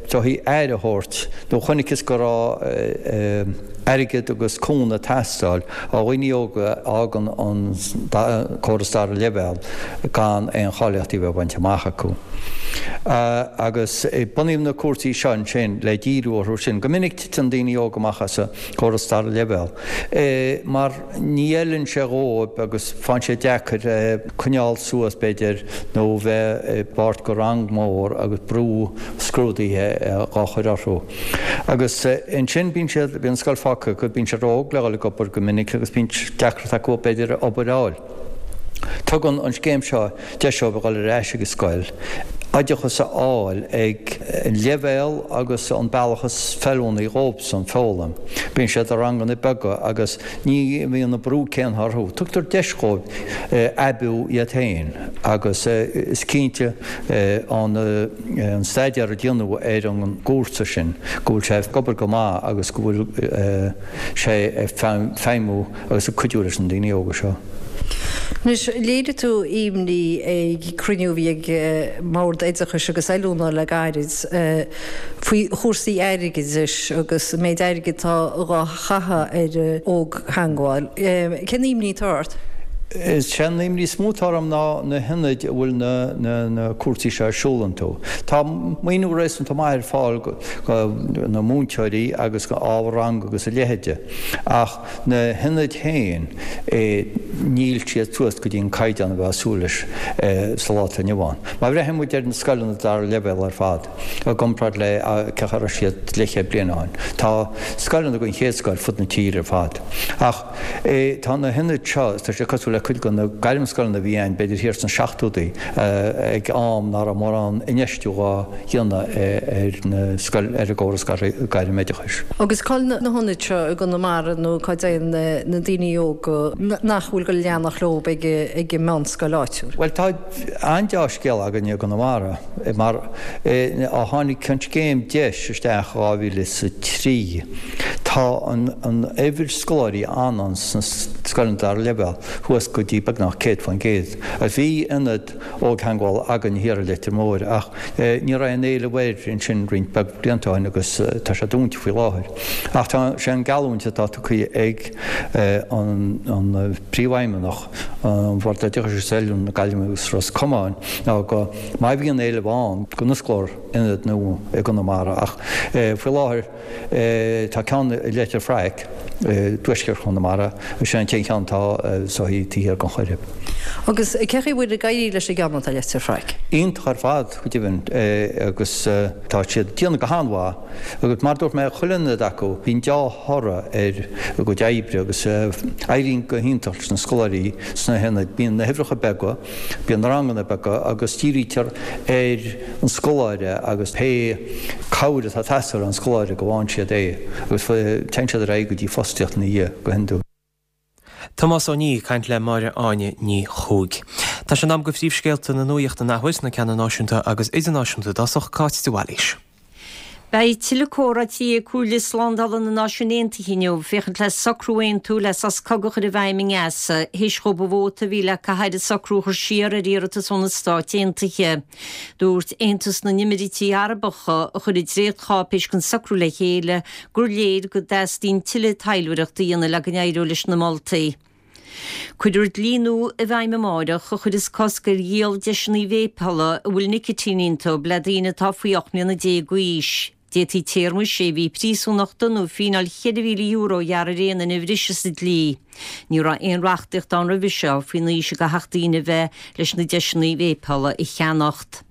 haghaidh aire a thabhairt nó chonacthas go raibh airgead agus cúnamh ag teastáil ó dhaoine óga a fhágann an córas dara leibhéal gan aon cháilíochtaí a bheith bainte amach acu. Agus bunaíodh na cúrsaí seo ansin le díriú orthu sin. Go minic titeann daoine óga amach as an gcóras dara leibhéal mar ní fheileann sé dhóibh agus faigheann sé deacair coinneáil suas b'fhéidir nó bheith i bpáirt go rang mór agus brú scrúdaithe dhá chur orthu. Agus ansin bíonn siad, bíonn an scoil fágtha acu, bíonn siad ró-óg le dhul ag obair go minic agus bíonn deacracht acu b'fhéidir obair a fháil. Tugann an scéim seo deis dóibh a dhul ar ais ag an scoil oideachas a fháil ag an leibhéal agus an bealach is feiliúnaí dhóibhsan foghlaim. Bíonn siad i ranganna beaga agus ní bhíonn an brú céanna orthu. Tugtar deis dhóibh aibiú iad féin agus is cinnte an staidéar a déanadh ar an gcúrsa sin go bhfuil sé ag obair go maith agus go bhfuil sé ag feidhmiú agus ag cuidiú leis na daoine óga seo. Anois, léirigh tú imní ag cruinniú a bhí ag mBord Oideachais agus Oiliúna le gairid faoi chúrsaí airgeadais agus an méid airgid atá á chaitheamh ar Ógtheagmháil. Cén imní atá ort? Is é an imní is mó atá orm ná na hionaid a bhfuil na cúrsaí seo ar siúl iontu. Tá maoiniú réasúnta maith ar fáil do na múinteoirí agus do ábhar ranga agus a leithéide ach na hionaid féin, níl siad suas go dtí an caighdeán a bheifeá ag súil leis sa lá atá inniu ann. Má bhreathnaíonn muid ar na scoileanna dara leibhéal ar fad, i gcomparáid le cén chaoi a raibh siad leathchéad bliain ó shin, tá scoileanna den chéad scoth ar fud na tíre ar fad. Ach tá na hionaid seo, tá siad cosúil le cuid de na gairmscoileanna a bhí ann b'fhéidir thiar sna seachtóidí, ag am nach raibh mórán infheistiú á dhéanamh ar na scoil, ar an gcóras gairmoideachais. Agus cá bhfuil na hionaid seo i gConamara nó cá dtéann na daoine óga nach bhfuil ag goil a leanacht leo ag ag an meánscoil áitiúil? Bhuel tá an-deá-scéal againne i gConamara mar ó tháinig an scéim DEIS isteach dhá mhíle is a trí tá an an uimhir scoláirí a fhanann sna scoileanna dara leibhéal suas go dtí beagnach céad faoin gcéad. Bhí ionad Ógtheagmhála againn thiar i Leitir Móir ach ní raibh aon éileamh air ansin roinnt beag blianta ó shin agus tá sé dúnta faoi láthair. Ach tá sé an geallúint atá tugtha ag an Príomhfheidhmeannach an Bhord Oideachais agus Oiliúna na Gaillimhe agus Ros Comáin ná go má bhíonn éileamh ann go n-osclófar ionad nua i gConamara ach faoi láthair tá ceann i Leitir Fraic i dtuaisceart Chonamara, is é an t-aon cheann atá so taobh thiar den Choirib. Agus cén chaoi a bhfuil ag éirí leis an gceann atá i Leitir Fraic? Iontach ar fad, go deimhin, agus tá siad ag déanamh go han-mhaith. Agus mar a dúirt mé, chuile ionad acu, bíonn deá-thoradh ar a gcuid oibre agus éiríonn go hiontach leis na scoláirí sna hionaid. Bíonn na huimhreacha beaga, bíonn na ranganna beaga agus dírítear ar an scoláire agus pé cabhair atá ag teastáil ón scoláire go bhfaigheann siad é agus téann siad ar aghaidh go dtí fostaíocht ina dhiaidh go hiondúil. Tomás Ó Niaidh ag caint le Máire Áine Ní Chuaig. Tá sé in am do phríomhscéalta na nuachta an athuair, na ceanna náisiúnta agus idirnáisiúnta i dtosach, Cáit de Bhailís. Beidh tuilleadh comhráití ag Comhairle Slándála na Náisiún Aontaithe inniu féachaint le socrú a aontú le sos cogaidh a chur i bhfeidhm i nGaza, théis dhóibh an vóta a bhí le caitheamh ar an socrú a chur siar ar iarratas ó na Stáit Aontaithe. Dúirt Aontas na nÉimíríochtaí Arabacha, a chuir an dréachtcháipéis den socrú le chéile, gur léir go dteastaíonn tuilleadh taidhleoireachta a dhéanamh le go n-éireodh leis na moltaí. Cuirfear dlí nua i bhfeidhm amáireach a chuirfeas cosc ar dhíol deiseanna véipeála a bhfuil nicitín iontu le daoine atá faoi ocht mbliana déag d'aois. D'fhéadfaí téarma sé mhí príosúnachta nó fíneáil cheithre mhíle euro a ghearradh ar aon duine a bhrisfeas an dlí. Ní raibh aon reachtaíocht ann roimhe seo faoin aois a gcaithfeadh daoine a bheith leis na deiseanna véipeála a cheannacht.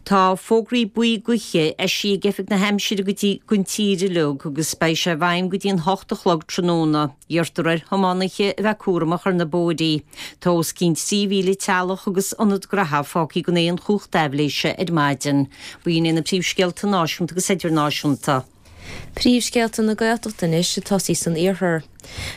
Tá fógraí buí gaoithe eisithe ag Oifig na hAimsire go dtí don tír uilig agus beidh sé i bhfeidhm go dtí an hocht a chlog tráthnóna. Iarrtar ar thiománaithe a bheith cúramach ar na bóithrí. Tá os cionn trí mhíle teaghlach agus ionad graithe fágtha gan aon chumhacht aibhléise ar maidin. B'in iad na príomhscéalta náisiúnta agus idirnáisiúnta. Príomhscéalta na Gaeltachta anois ag tosaí san iarthar.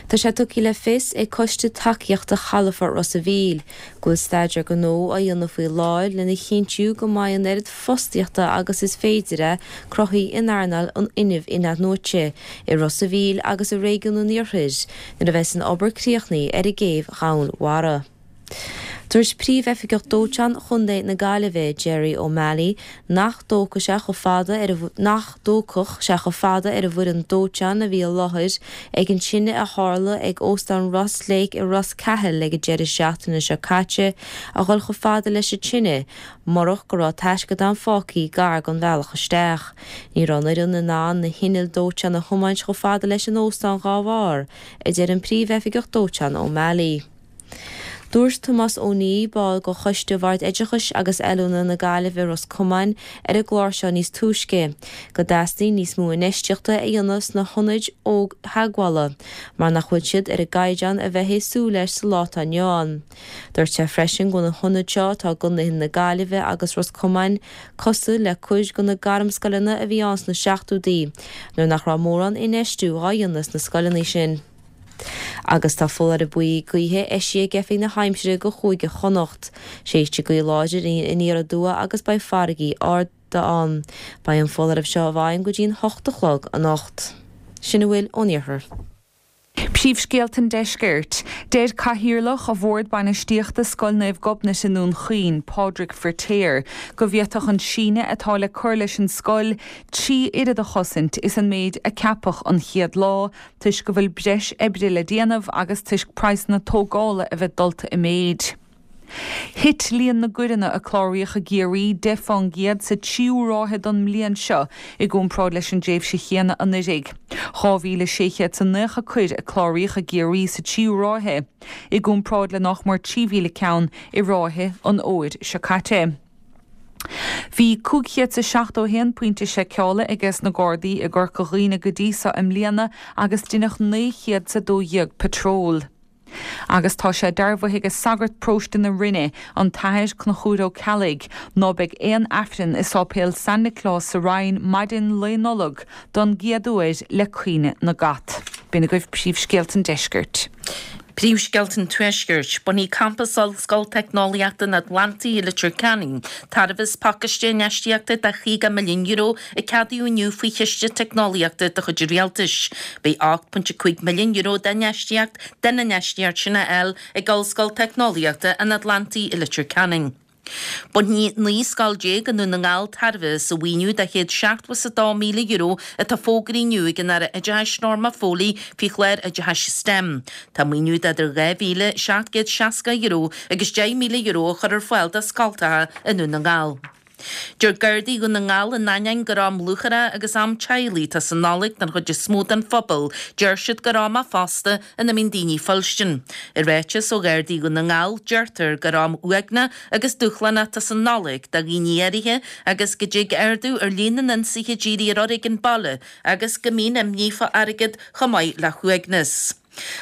Tá sé tugtha le fios ag Coiste Tacaíochta Chalafort Ros a' Mhíl go bhfuil staidéar gnó á dhéanamh faoi láthair lena chinntiú go mbeidh an oiread fostaíochta agus is féidir a cruthú in earnáil an fhuinnimh in-athnuaite i Ros a' Mhíl agus i réigiún an Iarthair nuair a bheas an obair críochnaithe ar an gcéibh dhomhainmhara. Dúirt Príomh-Oifigeach Dóiteáin Chontae na Gaillimhe, Gerry O'Malley, nach dtógfadh sé chomh fada ar nach dtógfadh sé chomh fada ar an bhfoireann dóiteáin a bhí i láthair ag an tine a tharla ag Óstán Ross Lake i Ros Cathail ag an deireadh seachtaine seo caite a dhul chomh fada leis an tine murach go raibh taisceadán fágtha gar don bhealach isteach. Ní raibh an fhoireann in ann na hinnill dóiteáin a thiomáint chomh fada leis an óstán dhá bharr, a deir an Príomh-Oifigeach Dóiteáin O'Malley. Dúirt Tomás Ó Niaidh, ball de Choiste Bhord Oideachais agus Oiliúna na Gaillimhe Ros Comáin ar an gclár seo níos túisce, go dteastaíonn níos mó infheistíochta a dhéanamh sna hionaid ógtheagmhála mar nach bhfuil siad ar an gcaighdeán a bheifí ag súil leis sa lá atá inniu ann. Dúirt sé freisin go bhfuil na hionaid seo atá i gcontaetha na Gaillimhe agus Ros Comáin cosúil le cuid de na gairmscoileanna a bhí ann sna seachtóidí nuair nach raibh mórán infheistiú á dhéanamh sna scoileanna sin. Agus tá foláireamh buí gaoithe eisithe ag Oifig na hAimsire do Chúige Chonnacht. Séidfidh gaoth láidir aniar aduaidh agus beidh farraigí arda ann. Beidh an foláireamh seo i bhfeidhm go dtí an hocht a chlog anocht. Sin a bhfuil ón iarthar. Príomhscéalta an Deiscirt. Deir Cathaoirleach Bhord Bainistíochta Scoil Naomh Gobnait i nDún Chaoin, Pádraig Firtéar, go bhféadfadh an síneadh atá le cur leis an scoil trí oiread a chosaint is an méid a ceapadh an chéad lá toisc go bhfuil breis oibre le déanamh agus toisc praghsanna tógála a bheith dulta i méid. Thit líon na gcoireanna a cláraíodh i gCiarraí deich fán gcéad sa tríú ráithe don mbliain seo i gcomparáid leis an dtréimhse chéanna anuraidh. Dhá mhíle sé chéad 's a naocha coir a cláraíodh i gCiarraí sa tríú ráithe, i gcomparáid le nach mór trí mhíle ceann i ráithe an fhómhair seo caite. Bhí cúig chéad 's a seachtó a haon pointe seiceála ages na Gardaí i gCorca Dhuibhne go dtí seo i mbliana agus deineadh naoi chéad 's a dó dhéag patról. Agus tá sé dearbhaithe ag sagart paróiste na Rinne, an tAthair Conchúr Ó Ceallaigh, ná beidh aon Aifreann i Sáipéal San Nioclás sa Rinn maidin Lae Nollag don gcéad uair le caoineadh na gcat. B'in agaibh príomhscéalta an deiscirt. Príomhscéalta an Tuaiscirt, Bainfidh Campas Ollscoil Teicneolaíochta an Atlantaigh i Leitir Ceanainn tairbhe as pacáiste infheistíochta de chaoga milliún euro a ceadaíodh inniu faoi Chiste Teicneolaíochta de chuid an Rialtais. Beidh ocht pointe cúig milliún euro d'infheistíocht den infheistíocht sin á fháil ag Ollscoil Teicneolaíochta an Atlantaigh i Leitir Ceanainn. Bainfidh naoi scoil déag i nDún na nGall tairbhe as an mhaoiniú de chéad seachtó is a dó míle euro atá fógraithe inniu ag an Aire Oideachais Norma Foley faoi chlár oideachais STEM. Tá maoiniú de idir dhá mhíle seacht gcéad seasca euro agus deich míle euro á chur ar fáil do scoltacha i nDún na nGall. Deir Gardaí Dhún na nGall in ainneoin gur am lúcháire agus am teaghlaigh atá sa Nollaig don chuid is mó den phobal, deir siad gur am é fosta ina mbíonn daoine fuilstin. I ráiteas ó Ghardaí Dhún na nGall, deirtear gur am uaigneach agus dúshlánach atá sa Nollaig do dhaoine áirithe agus go dtig ardú ar líon na n-ionsaithe dírithe ar fhoréigean baile agus go mbíonn imní fá airgead chomh maith le huaigneas.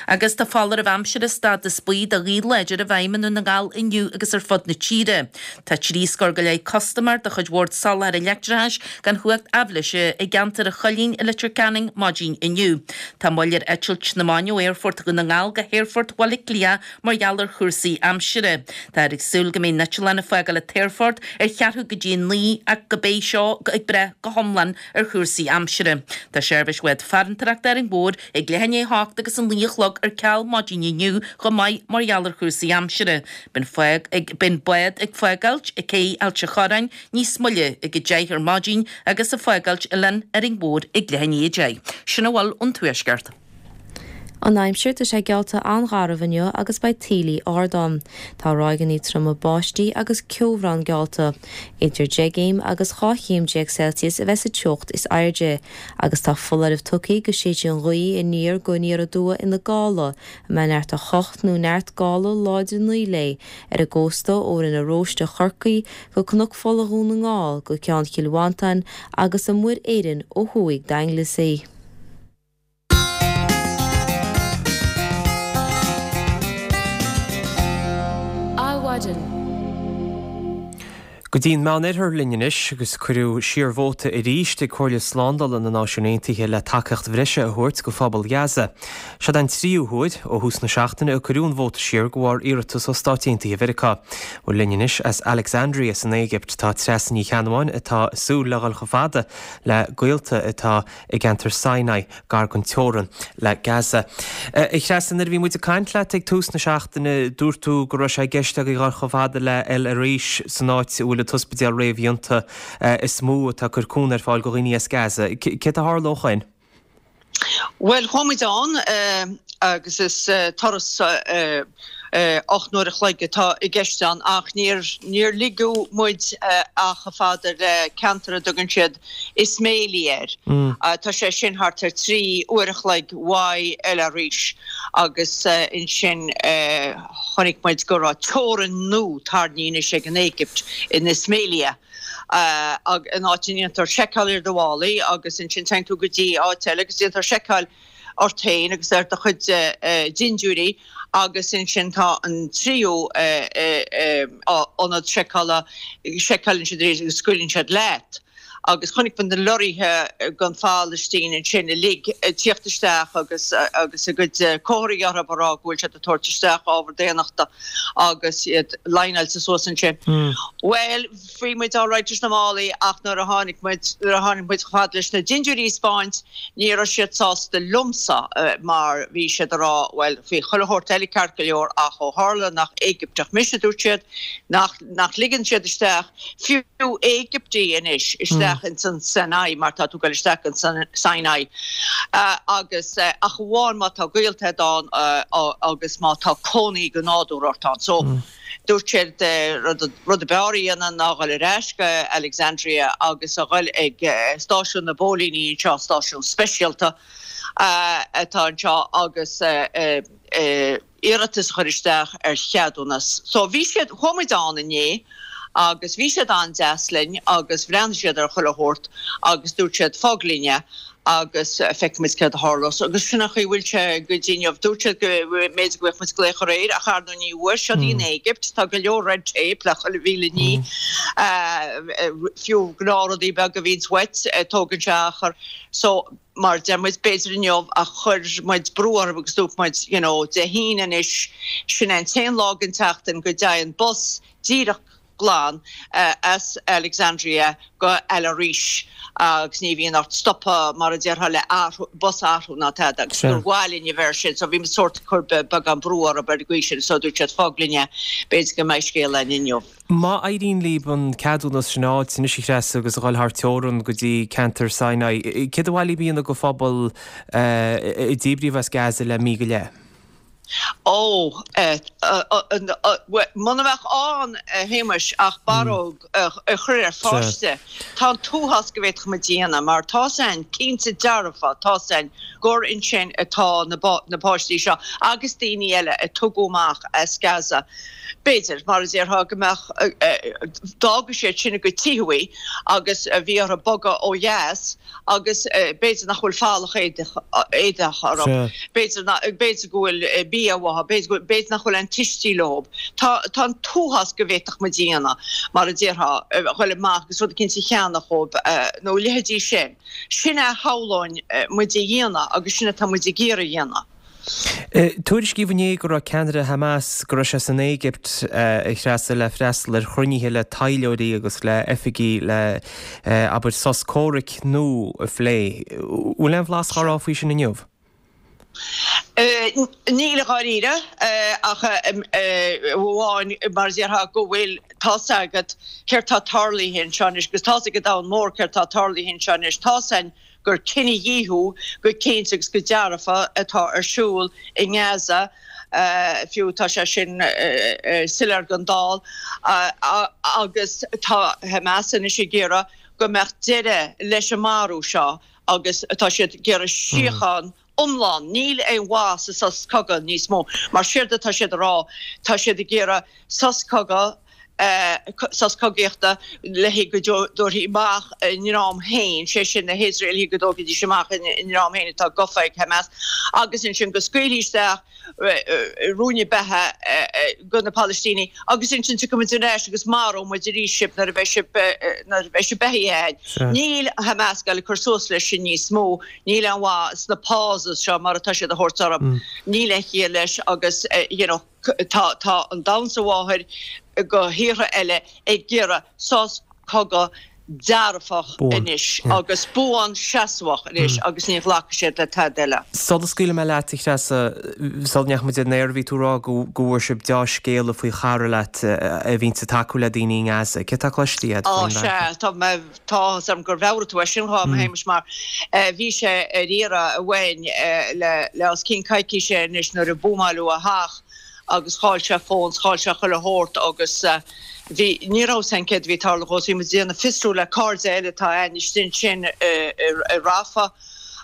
Agus tá foláireamh aimsire stádas buí do ghaoth láidir i bhfeidhm i nDún na nGall inniu agus ar fud na tíre. Tá trí scór go leith custaiméir de chuid Bhord Soláthair Leictreachais gan chumhacht aibhléise i gceantar an Choillín i Leitir Ceanainn maidin inniu. Tá moill ar eitilt na mban ó Aerfort Dhún na nGall go hAerfort Bhaile Átha Cliath mar gheall ar chúrsaí aimsire. Táthar ag súil go mbeidh an t-eitleán ag fágáil an t-aerfort ar cheathrú go dtí a naoi ach go beidh seo ag brath go hiomlán ar chúrsaí aimsire. Tá seirbhís bhád farantóireachta Árainn Mhór ag leath i ndiaidh a hocht agus a naoi a chlog ar ceal maidin inniu chomh maith mar gheall ar chúrsaí aimsire. Beidh an bád ag fágáilt ag cé Ailt a' Chorráin níos moille ag a deich ar maidin agus ag fágáilt oileán Árainn Mhór ag leath i ndiaidh a deich. Sin a bhfuil ón Tuaisceart. An aimsir, tá sé geallta an-gharbh inniu agus beidh taoillí ard ann. Tá ráigeanna troma báistí agus ceobhrán geallta. Idir deich gcéim agus dhá chéim déag Celsius a bheas sa teocht is airde agus tá foláireamh tugtha go séidfidh an ghaoth aniar go aniar aduaidh ina gála, a mbeidh neart a hocht nó neart gála láidir naoi léi, ar an gcósta ó Rinn na Róiste Chorcaí go Cnoc Fola Dhún na nGall go Ceann Chill Mhantáin agus i Muir Éireann ó thuaidh d'Anglesey. Adhmhaidin. Go dtí an Meánoirthear linn anois agus cuireadh siar vóta arís ag Comhairle Slándála na Náisiún Aontaithe le tacaíocht bhreise a thabhairt go phobal Ghaza. Seod an tríú huair ó thús na seachtaine a cuireadh an vóta siar de bharr iarratas ó Stáit Aontaithe Mheiriceá. Bhuel linn anois as Alexandria san Éigipt tá Treasa Ní Cheannabháin atá ag súil le dhul chomh fada le gaolta atá i gceantar Sinai gar don teorainn le Gaza. A Threasa, nuair a bhí muid ag caint leat ag tús na seachtaine, dúirt tú go raibh sé i gceist agaibh dhul chomh fada le El Arish san áit a bhfuil an t-ospidéal réamhdhéanta is mó atá ag cur cúnamh ar fáil do dhaoine as Gaza. Céard a tharla ó shoin? Bhuel, chuaigh muid ann agus is turas Ocht n-uair a chloig atá i gceist ann ach níor níor ligeadh muid ach chomh fada le ceantar a dtugann siad Ismailia air. Tá sé sin thart ar trí uair a chloig uaidh El Arish agus ansin chonaic muid go raibh teorainn nua tarraingthe anois ag an Éigipt in Ismailia in áit a ndéantar seiceáil ar do mhálaí agus ansin téann tú go dtí áit eile agus déantar seiceáil ort féin agus ar do chuid dindiúirí agus ansin tá an tríú ionad seiceála, seiceálann siad arís agus scaoileann siad leat. Agus chonaic muid na lorraithe den Phalaistín ansin uilig ag tíocht isteach agus agus a gcuid comharthaí orthu ag rá go bhfuil siad ag tabhairt isteach ábhar daonnachta agus iad líneáilte suas ansin. Bhuel, bhí muid alright leis na málaí ach nuair a tháinig muid, nuair a tháinig muid chomh fada leis na dindiúirí a 'speáint, Ní raibh siad sásta liomsa mar bhí siad ag rá, bhuel, bhí chuile shórt eile ceart go leor ach ó tharla nach Éigipteach mise, dúirt siad, nach, nach ligeann siad isteach, fiú Éigiptigh anois, isteach ins an Sinai mar tá tú ag dul isteach ins an Sinai agus ach amháin má tá gaolta agat ann agus má tá cónaí go nádúrtha ort ann. So. Dúirt siad rud ab fhearr a dhéanamh ná dhul ar ais go Alexandria agus a dhul ag stáisiún na bpóilíní anseo, stáisiún speisialta atá anseo agus iarratas a chur isteach ar cheadúnas. So bhí siad, chuaigh muid ann inné agus bhí siad an-deas linn agus bhreathnaigh siad ar chuile shórt agus dúirt siad fág linn é agus feicfidh muid céard a tharlós. Agus sin an chaoi a bhfuil sé go dtí inniu. Dúirt siad go mb'fhéidir go bhfaigheadh muid glaoch aréir, ach ar ndóigh ní bhfuair. Siod í an Éigipt, tá go leor red tape le chuile mhíle ní. Fiú gnáthrudaí beaga a bhíonns uait, tógann sé achar. So, mar a deir muid, b'fhéidir inniu ach chuir muid brú orthu agus dúirt muid, you know, Dé hAoine anois, sin é an t-aon lá den tseachtain go dtéann bus díreach glan as Alexandria go El Arish agus ní bhíonn ort stopadh mar a déarfá le athrú, bus a athrú ná tada agus gur mhaith linn a bheith air sin so bhí muid sórt ag cur beagán brú orthu ar an gcaoi sin so dúirt siad fág linn é, b'fhéidir go mbeidh scéal againn inniu. Má éiríonn libh an ceadúnas sin a fháilt anois a Threasa agus a dhul thar teorann go dtí ceantar Sinai, céard ba mhaith libh a dhéanamh go phobal a díbríodh as Gaza le mí go leith? Ó, muna mbeadh ann, a Shéamais, ach barróg a chur ar pháiste, tá an t-uafás go bhféadfadh muid a dhéanamh, mar tá's a'inn, cinnte dearfa, tá's a'inn gur ansin atá na páistí seo agus daoine eile a tugadh amach as Gaza. B'fhéidir, mar a déarfá, go mbeadh, d'fhága siad sin a gcuid tithe agus bhí orthu bogadh ó dheas, agus b'fhéidir nach bhfuil folach éadach orthu, b'fhéidir b'fhéidir go bhfuil bia uathu, b'fhéidir b'fhéidir nach bhfuil aon tuistí leo. Tá tá an t-uafás go bhféadfadh muid a dhéanamh, mar a déarfá, a ghoil amach agus rud eicínt a cheannach dhóibh nó a leithéidí sin. Sin é a shamhlóinn muid a dhéanamh agus sin atá muid ag iarraidh a dhéanamh. Tuairiscíodh inné go raibh ceannaire Hamas, go raibh sé san Éigipt, a Threasa, le freastal ar chruinnithe le taidhleoirí agus le oifigigh le, abair, sos comhraic nua a phlé. Bhfuil aon bhlas á rá faoi sin inniu? Níl i dháiríre, ach amháin, mar a déarfá, go bhfuil, tá's agat céard tá tarlaithe anseo anois, agus tá's ag an domhan mór céard tá tarlaithe anseo anois, tá's a'inn gur cinedhíothú go cinnte agus go dearfa atá ar siúl i nGaza, fiú tá sé sin soiléir don dall, agus tá Hamas anois ag iarraidh go mbeadh deireadh leis an marú seo agus tá siad ag iarraidh síocháin iomlán. Níl aon mhaith sa sos cogaidh níos mó mar séard atá siad a rá, tá siad ag iarraidh sos cogaidh, sos cogaíochta le haghaidh go dtabharfaí amach a ndream féin, sé sin na hIosraelaigh go dtógfaidís amach a ndream féin atá gafa ag Hamas agus ansin go scaoilfí isteach ruainne beatha go na Palaistínigh agus ansin tiocfaidh muid ar ais agus maróidh muid arís sibh nuair a bheidh sibh nuair a bheidh sibh beathaithe againn. Níl Hamas ag dul ag cur suas leis sin níos mó, níl aon mhaith sna pauses seo mar atá siad a thabhairt orthu, níl aon chiall leis agus you know, Tá tá an domhan sa mháthair go thíortha eile ag iarraidh sos cogaidh dearfach anois agus buan seasmhach anois agus ní ghlacfaidh siad le tada eile. Sula scaoilfidh mé leat, a Threasa, sula ndeachaigh muid ar an aer bhí tú ag rá go go bhfuair sibh deá-scéala faoi chara leat a bhíonns ag tacú le daoine i nGaza. Céard tá cloiste agat Á faoin sea, bhfear? tá mé, tá áthas orm gur mheabhraigh tú é sin dhom, a Shéamais, mar bhí sé ar iarraidh uainn le le os cionn coicíse anois nuair a buamáileadh a theach. agus chaill sé a fón, chaill sé chuile shórt agus bhí, ní raibh fhios againn céard a bhí ag tarlú dhó, so bhí muid ag déanamh fiosrú le cairde eile atá againn istigh ansin i Rafah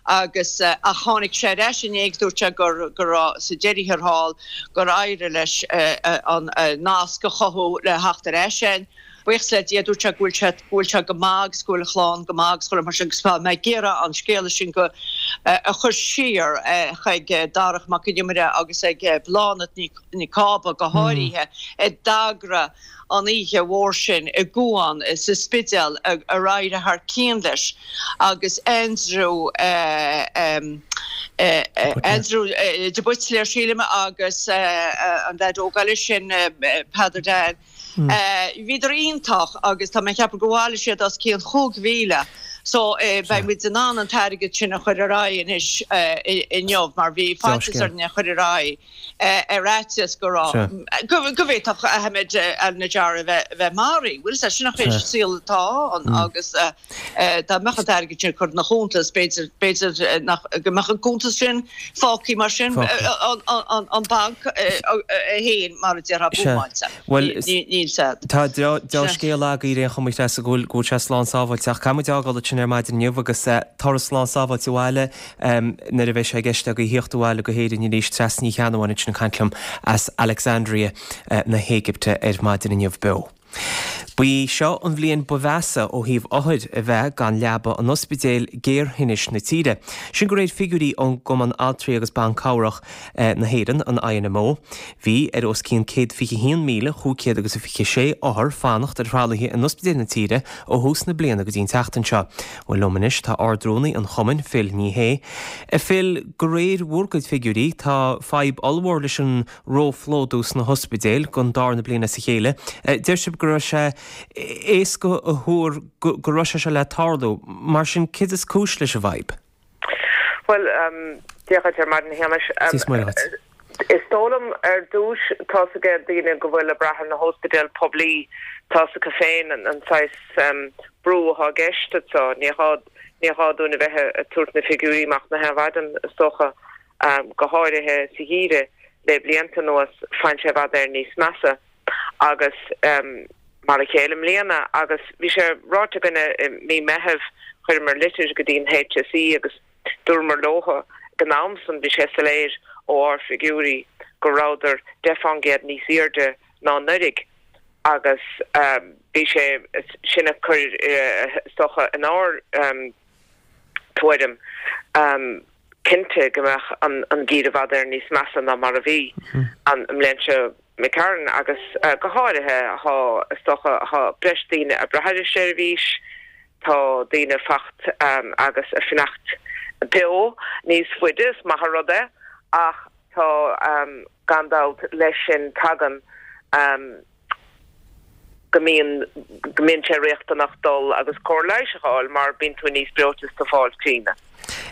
agus ach tháinig sé ar ais inné agus dúirt sé gur, go raibh, sa deireadh thiar thall, gur éirigh leis an nasc a chothú le theacht ar ais againn. Buíochas le Dia, dúirt sé go bhfuil sé, go bhfuil sé go maith agus go bhfuil a chlann go maith agus chuile mar sin agus tá mé ag iarraidh an scéala sin go, a chur siar chuig Darach Mac Con Iomaire agus ag Bláthnaid Ní, Ní Cába go háirithe a d'eagraigh an oíche mhór sin i gCuan sa Spidéal ar éirigh thar cionn leis agus Aindriú Aindriú de Buitléir sílim agus an leaid óg eile sin Peadar Dan. Bhíodar iontach agus tá mé ag ceapadh gur bhailigh siad os cionn chúig mhíle so beidh muid in ann an t-airgead sin a chur ar aghaidh anois inniu mar bhí faitíos orainn é a chur ar aghaidh ar fhaitíos go raibh, go bhféadfadh Ahmed Al Najjar a bheith maraithe. Bhfuil fhios agat, sin an saol atá ann agus dá mbeadh an t-airgead sin curtha ina chuntas b'fhéidir, b'fhéidir nach, go mbeadh an cuntas sin fágtha mar sin, an banc é féin mar a déarfá buamáilte. Bhuel, Níl siad. tá dea-scéal agaibh ar aon chuma, a Threasa, go bhfuil, go bhfuil sé slán sábháilte. Ach caithfidh muid é a fhágáil ansin ar maidin inniu agus turas slán sábháilte abhaile nuair a bheidh sé i gceist agaibh thíocht abhaile go hÉirinn arís. Treasa Ní Cheannabháin ansin ag caint liom as Alexandria na hÉigipte ar maidin inniu beo. Ba í seo an bhliain ba mheasa ó thaobh othair a bheith gan leaba in ospidéil géarthinnis na tíre. Sin de réir figiúirí ón gCumann Altraí agus Ban Cabhrach na hÉireann, an INMO. Bhí ar os cionn céad fiche haon míle chúig chéad agus a fiche sé othar fanacht ar thralaithe in ospidéil na tíre ó thús na bliana go dtí an tseachtain seo. Bhuel liom anois tá Ard-Rúnaí an Chumainn, Phil Ní Sheaghdha. A Phil, de réir bhur gcuid figiúirí tá fadhb ollmhór leis an róphlódú sna hospidéil don darna bliain as a chéile. Deir sibh go raibh sé éasca a thuar go raibh sé seo le tarlú. Mar sin, céard is cúis leis an bhfadhb? Bhuel, Dia dhuit ar maidin, a Shéamais. Dia is Muire dhuit. Is dóigh liom, ar dtús, tá's ag daoine go bhfuil ag brath ar na hóspidéil poiblí, tá's acu féin an saghas brú atá i gceist anso. Ní gá, ní gá dúinn a bheith ag tabhairt na figiúirí amach na haon mhaidin, is dócha, go háirithe sa gheimhreadh le blianta anuas, faigheann sé i bhfad Éireann níos measa. Agus mar a chéile i mbliana, agus bhí sé ráite againne i mí Meithimh, chuireamar litir go dtí an HSE agus dúramar leotha ag an am san, bhí sé soiléir ó ár bhfigiúirí go rabhadar deich fán gcéad níos airde ná anuraidh agus bhí sé sin ag cur is dócha inár tuairim cinnte go mbeadh an geimhreadh i bhfad Éireann níos measa ná mar a bhí an mbliain seo imigh tharainn agus go háirithe thá, is dócha, thá breis daoine ag brath ar an seirbhís, tá daoine ag fanacht agus ag fanacht beo níos faide, is maith an rud é ach tá gan dabht leis sin tagann go mbíonn, go mbíonn sé riachtanach dul agus cóir leighis a fháil mar bíonn tú níos breoite is tú ag fáil tinn.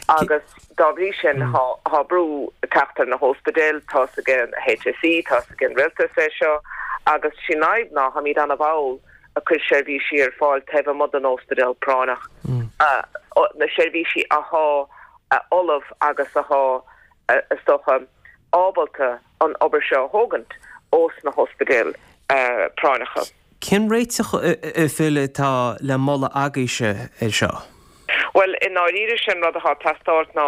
Agus dá bhrí sin thá, thá brú ag teacht ar na hóspidéil, tá's ag an HSE, tá's ag an Rialtas é seo agus sí an fhadhb ná tháimíd ana-mhall ag cur seirbhísí ar fáil taobh amuigh den óspidéal práinneach, na seirbhísí athá ullamh agus athá is dócha ábalta an obair seo a thógaint ós na hóspidéil práinneacha. Cén réiteach, a Phil, atá le moladh agaibhse air seo? Bhuel, i ndáiríre, sé an rud atá ag teastáilt ná,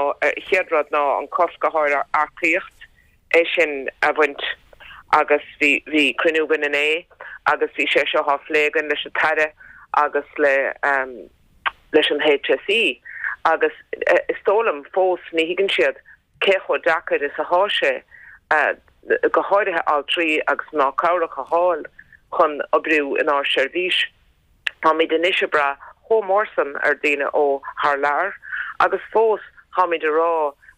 chéad rud ná an cosc athá ar earcaíocht, é sin a bhaint agus bhí, bhí cruinniú againn inné agus bhí sé seo á phlé againn leis an tAire agus le, leis an HSE agus is dóigh liom fós ní thuigeann siad cé chomh deacair is athá sé, go háirithe altraí agus mná cabhrach a fháil chun oibriú inár seirbhís. Táimid anois ag brath chomh mór san ar daoine ó thar lear agus fós táimid ag rá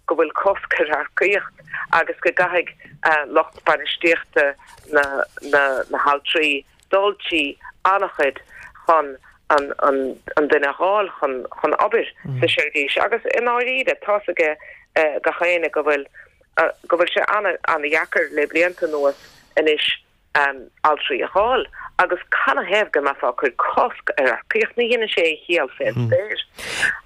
go bhfuil cosc ar earcaíocht agus go gcaithfidh lucht bainistíochta na haltraí dul trí an-chuid chun an duine a fháil chun obair sa seirbhís agus i ndáiríre tá's ag gach éinne go bhfuil go bhfuil sé an-dheacair le blianta anuas anois altraí a fháil agus canathaobh go mbeifeá ag cur cosc ar earcaíocht? Ní dhéanann sé aon chiall fén spéir.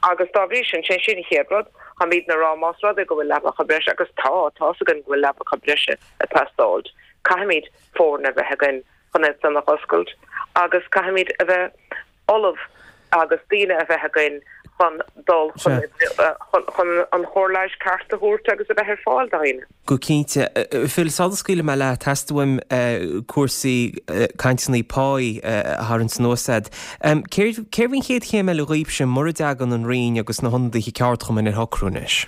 Agus dá bhrí sin, sé sin an chéad rud, táimidne ag rá más rud é go bhfuil leapacha breise, agus tá, tá's againn go bhfuil leapacha breise ag teastáilt, Caithfimid foirne a bheith againn chun é san a oscailt agus caithfimid a bheith ullamh agus daoine a bheith againn chun dul chun chun an chóir leighis ceart a thabhairt agus a bheith ar fáil do dhaoine. Go cinnte. Phil, sula scaoilfidh mé leat, theastaigh uaim cúrsaí cainteanna páí a tharraingt anuas agat. Céard céard an chéad chéim eile dhaoibhse mura dtagann an Roinn agus na hionadaithe ceardchumainn ar shocrú anois?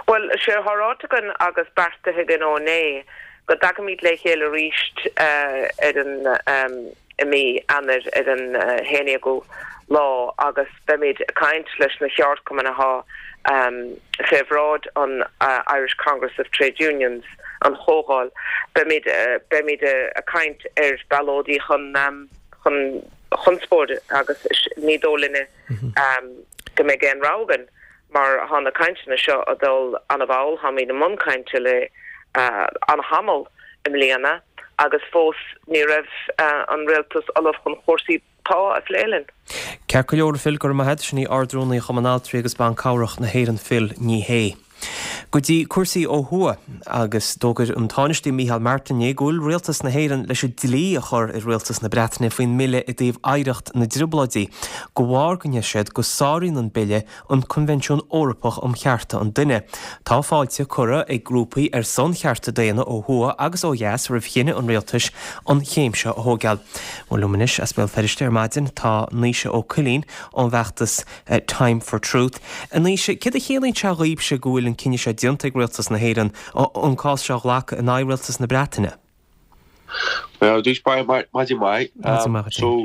Bhuel, sé atá ráite againn agus beartaithe againn ó inné go dtagaimid le chéile arís ar an i mí Eanáir ar an haon déagú lá agus beimid ag caint leis na ceardchumainn atá fé bhráid an Irish Congress of Trade Unions, an chomhdháil. Beimid beimid ag caint ar ballóidí chun chun chonspóid agus ní dóigh linne go mbeidh aon rogha againn mar tá na cainteanna seo ag dul an-mhall, táimid i mbun cainte le an-tamall i mbliana agus fós ní raibh an rialtas ullamh chun cúrsaí pá a phlé linn. Ceart go leor, Phil, go raibh maith agat. Sin í Ard-Rúnaí Chumann Altraí agus Ban Cabhrach na hÉireann Phil Ní Sheaghdha. Go dtí cúrsaí ó thuaidh agus d'fhógair an Tánaiste Micheál Martin inné go bhfuil rialtas na hÉireann leis an dlí a chur ar rialtas na Breataine faoin mbille i dtaobh oidhreacht na dTrioblóidí, de bharr go ndeir siad go sáraíonn an bille an Coinbhinsiún Eorpach um Chearta an Duine. Tá fáilte curtha ag grúpaí ar son chearta daonna ó thuaidh agus ó dheas roimh chinneadh an rialtais an chéim seo a thógáil. Bhuel liom anois as Béal Feirste ar maidin tá Naoise Ó Cuilinn ón bhfeachtas Time for Truth. A Naoise, céard a chiallaíonn sé dhaoibhse go bhfuil an cinneadh seo déanta ag rialtas na hÉireann an cás seo a ghlacadh in aghaidh rialtas na Breataine? Well, dús maidin mhaith. So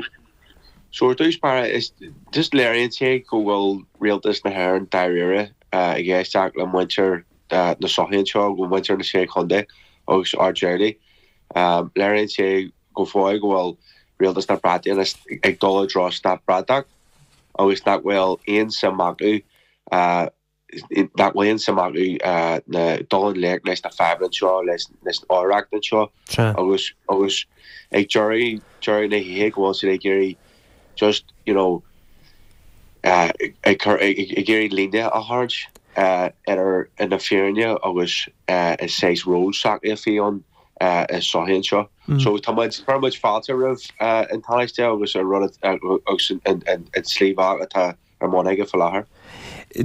so ar dtús báire is just léiríonn sé go bhfuil rialtas na hÉireann dáiríre ag éisteacht le muintir na sochaí anseo, go muintir na Sé Chontae agus ár dteaghlaigh. Léiríonn sé go fóill go bhfuil rialtas na Breataine ag dul i dtreo stát bratach agus nach bhfuil aon suim acu nach bhfuil aon suim acu na dul i ngleic leis na fadhbanna anseo, leis leis an oidhreacht anseo agus agus ag deireadh deireadh na hoíche go bhfuil siad ag iarraidh just you know ag cur ag iarraidh líne a tharraingt idir na fírinne agus an saghas ról s'acu a bhí ann i sochaí anseo. So tá muid chuir muid fáilte roimh an Tánaiste agus an rud agus an an tslí bhealach atá ar bun aige faoi láthair.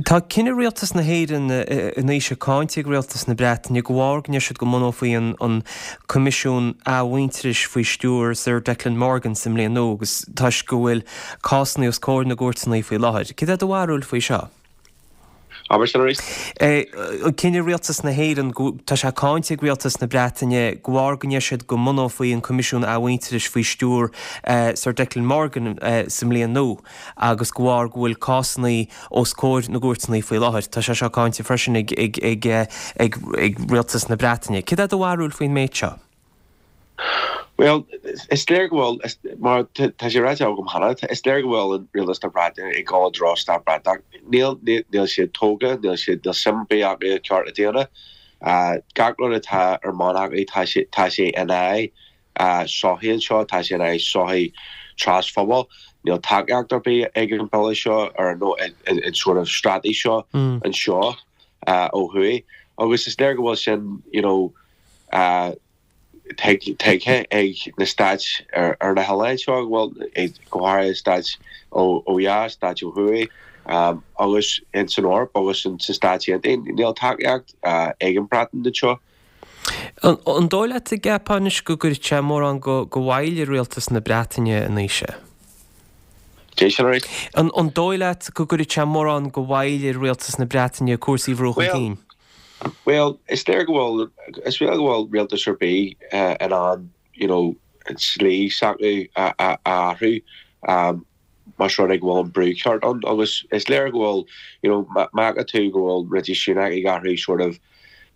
Tá cinneadh rialtas na hÉireann a Naoise cáinte ag rialtas na Breataine de bharr go ndeir siad go mbunófaí an Coimisiún Athmhuintearais faoi stiúir Sir Declan Morgan sa mbliain nua agus toisc go bhfuil cásanna os comhair na gcúirteanna faoi láthair. Céard é do bharúil faoi seo? Abair sin arís. Cinneadh rialtas na hÉireann, tá sé cáinte ag rialtas na Breataine de bharr go ndeir siad go mbunófaí an Coimisiún Athmhuintearais faoi stiúir Sir Declan Morgan sa mbliain nua agus de bharr go bhfuil cásanna os comhair na gcúirteanna faoi láthair. Tá sé seo cáinte freisin ag ag ag ag rialtas na Breataine. Céard é do bharúil faoin méid seo? Bhuel, is léir go bhfuil, mar tá sé ráite agam cheana, is léir go bhfuil an rialtas na Breataine ag dul i dtreo stát bratach. Níl, níl siad tógtha, níl siad, níl suim ar bith acu i cearta daonna. Gach rud atá ar bun acu, tá sé, tá sé in aghaidh sochaí anseo, tá sé in aghaidh sochaí trasphobail. Níl tacaíocht ar bith ag an bille seo ar nó an sort of straitéis seo anseo ó thuaidh. Agus is léir go bhfuil sin, you know, tuigthe ag na stáit ar na hoileáin seo, bhuel, go háirithe stáit ó dheas, stáit ó thuaidh, agus in san Eoraip agus sna Stáit Aontaithe. Níl tacaíocht ag an Bhreatain anseo. An dóigh leat an gceapfá anois go gcuirfidh sé mórán de mhoill ar rialtas na Breataine a Naoise? Cé sin arís? An dóigh leat go gcuirfidh sé mórán de mhoill ar rialtas na Breataine cúrsaí a bhrú chun cinn? Bhuel, is léir go bhfuil, is léir go bhfuil rialtas ar bith in ann, you know, an tslí s'acu a athrú más rud é go bhfuil an brú ceart ann agus is léir go bhfuil, you know, má fheiceann tú go bhfuil Rishi Sunak ag athrú sort of,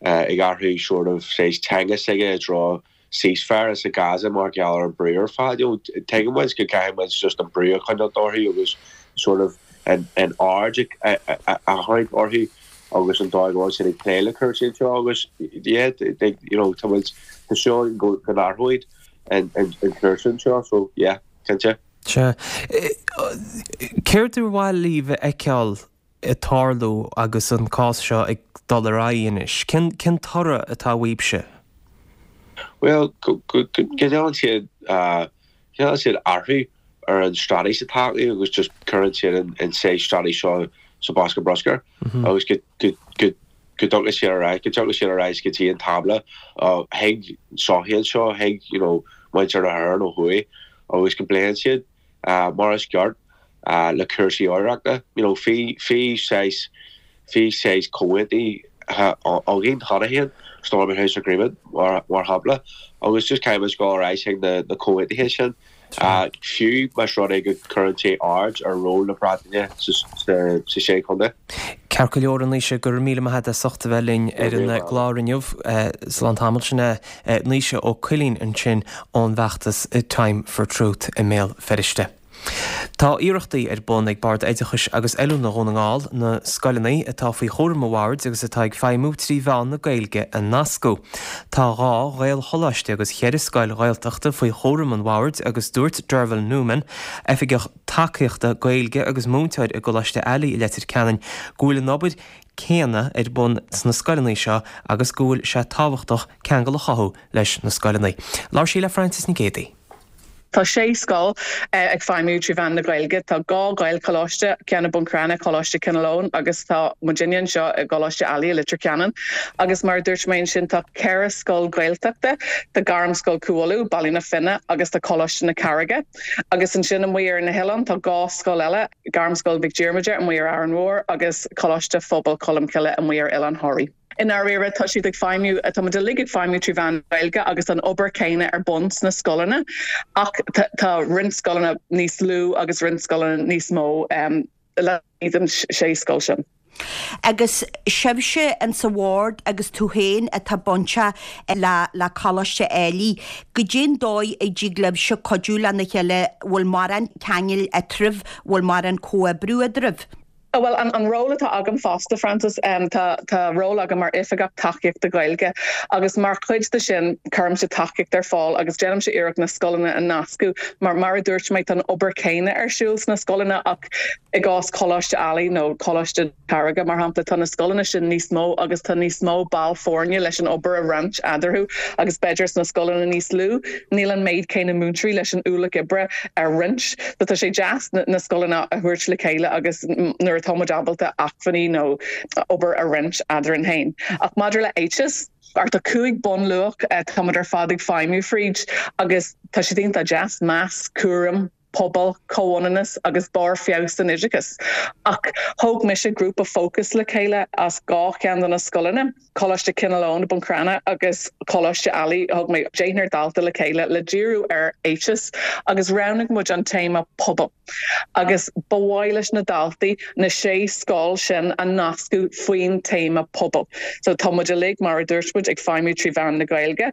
ag athrú sort of saghas teanga s'aige i dtreo ceasefire sa Gaza mar gheall ar an brú ar fad. You know, tuigeann muid go gcaithfidh muid just an brú a choinneáil orthu agus sort of an an aird a tharraingt orthu agus an dóigh go bhfuil siad ag plé le cúrsaí anseo agus yeah, they, you know, tá muid tá súil go go n-athróidh an an an cúrsa anseo so yeah, cinnte. Sea. Céard ar mhaith libh a fheiceáil ag tarlú agus an cás seo ag dul ar aghaidh anois? Cén cén toradh atá uaibhse? Bhuel, go ndéanann siad déanann siad athrú ar an straitéis atá acu agus just cuireann siad an saghas straitéis seo sa bosca bruscair agus go go go go dtiocfaidh siad ar ais go dtiocfaidh siad ar ais go dtí an tábla chuig sochaí anseo chuig you know muintir na hÉireann ó thuaidh agus go bpléann siad mar is ceart le cúrsaí oidhreachta. You know bhí bhí saghas bhí saghas comhaontú againn cheana féin, Stormont House Agreement mar mar shampla, agus just caithfidh muid dul ar ais chuig na na comhaontuithe sin. Fiú más rud é go gcuireann sé aird ar ról na Breataine sa sa sé chontae. Ceart go leor a Naoise, go raibh míle maith agat as ucht a bheith linn ar an gclár inniu. Slán tamall sin é Naoise Ó Cuilinn ansin ón bhfeachtas Time for Truth i mBéal Feirste. Tá iarrachtaí ar bun ag Bord Oideachais agus Oiliúna Dhún na nGall na scoileanna atá faoi chúram an bhoird agus atá ag feidhmiú trí mheán na Gaeilge a nascadh. Tá dhá Ghaelcholáiste agus cheithre scoil Ghaeltachta faoi chúram an bhoird agus dúirt Derval Newman, Oifigeach Tacaíochta Gaeilge agus múinteoir i gColáiste Ailigh i Leitir Ceanainn, go bhfuil an obair céanna ar bun sna scoileanna seo agus go bhfuil sé tábhachtach ceangal a chothú leis na scoileanna. Labhair sí le Frances Nic Géadaigh. Tá sé scoil ag feidhmiú trí mheán na Gaeilge. Tá dhá Ghaelcholáiste, ceann i mBun Cranncha, Coláiste Chineál Eoghain agus tá muidinne anseo i gColáiste Ailigh i Leitir Ceanainn. Agus mar a dúirt mé ansin tá ceithre scoil Ghaeltachta, tá Gairmscoil Chú Uladh, Baile na Finne agus tá Coláiste na Carraige. Agus ansin amuigh ar na hoileáin tá dhá scoil eile, Gairmscoil Mhic Diarmada amuigh ar Árainn Mhór agus Coláiste Phobail Cholmcille amuigh ar Oileán Thoraí. I ndáiríre tá siad ag feidhmiú, tá muid uilig ag feidhmiú trí mheán na Gaeilge agus an obair céanna ar bun sna scoileanna ach tá roinnt scoileanna níos lú agus roinnt scoileanna níos mó laistigh den sé scoil sin. Agus sibhse insa bhord agus tú féin atá bainteach le le Coláiste Ailigh, goidé an dóigh a dtig libhse cuidiú lena chéile, bhfuil mórán ceangail eadraibh, bhfuil mórán comhoibriú eadraibh? Bhuel, an an ról atá agam fosta, Frances, tá tá ról agam mar Oifigeach Tacaíochta Gaeilge agus mar chuid de sin cuirimse tacaíocht ar fáil agus déanaimse iarracht na scoileanna a nascadh mar mar a dúirt mé tá an obair céanna ar siúl sna scoileanna ach i gcás Coláiste Ailigh nó Coláiste na Carraige mar shampla tá na scoileanna sin níos mó agus tá níos mó ball foirne leis an obair a roinnt eadarthu agus b'fhéidir sna scoileanna níos lú níl an méid céanna múinteoirí leis an ualach oibre a roinnt. So tá sé deas na scoileanna a thabhairt le chéile agus nuair atá muid ábalta acmhainní nó obair a roinnt eadrainn féin. Ach maidir le éiteas, tá cúig bunluach tá muid ar fad ag feidhmiú fríd agus tá siad iontach deas, meas, cúram, pobal, comhionannas agus barr feabhais san oideachas. Ach thóg mise grúpa fócais le chéile as dhá cheann de na scoileanna, Coláiste Chineál Eoghain i mBun Cranncha agus Coláiste Ailigh, thóg mé deichniúr dalta le chéile le díriú ar éiteas agus roghnaigh muid an téama pobal. Agus ba mhaith leis na daltaí na sé scoil sin a nascadh faoin téama pobal. So tá muid uilig, mar a dúirt muid, ag feidhmiú trí mheán na Gaeilge.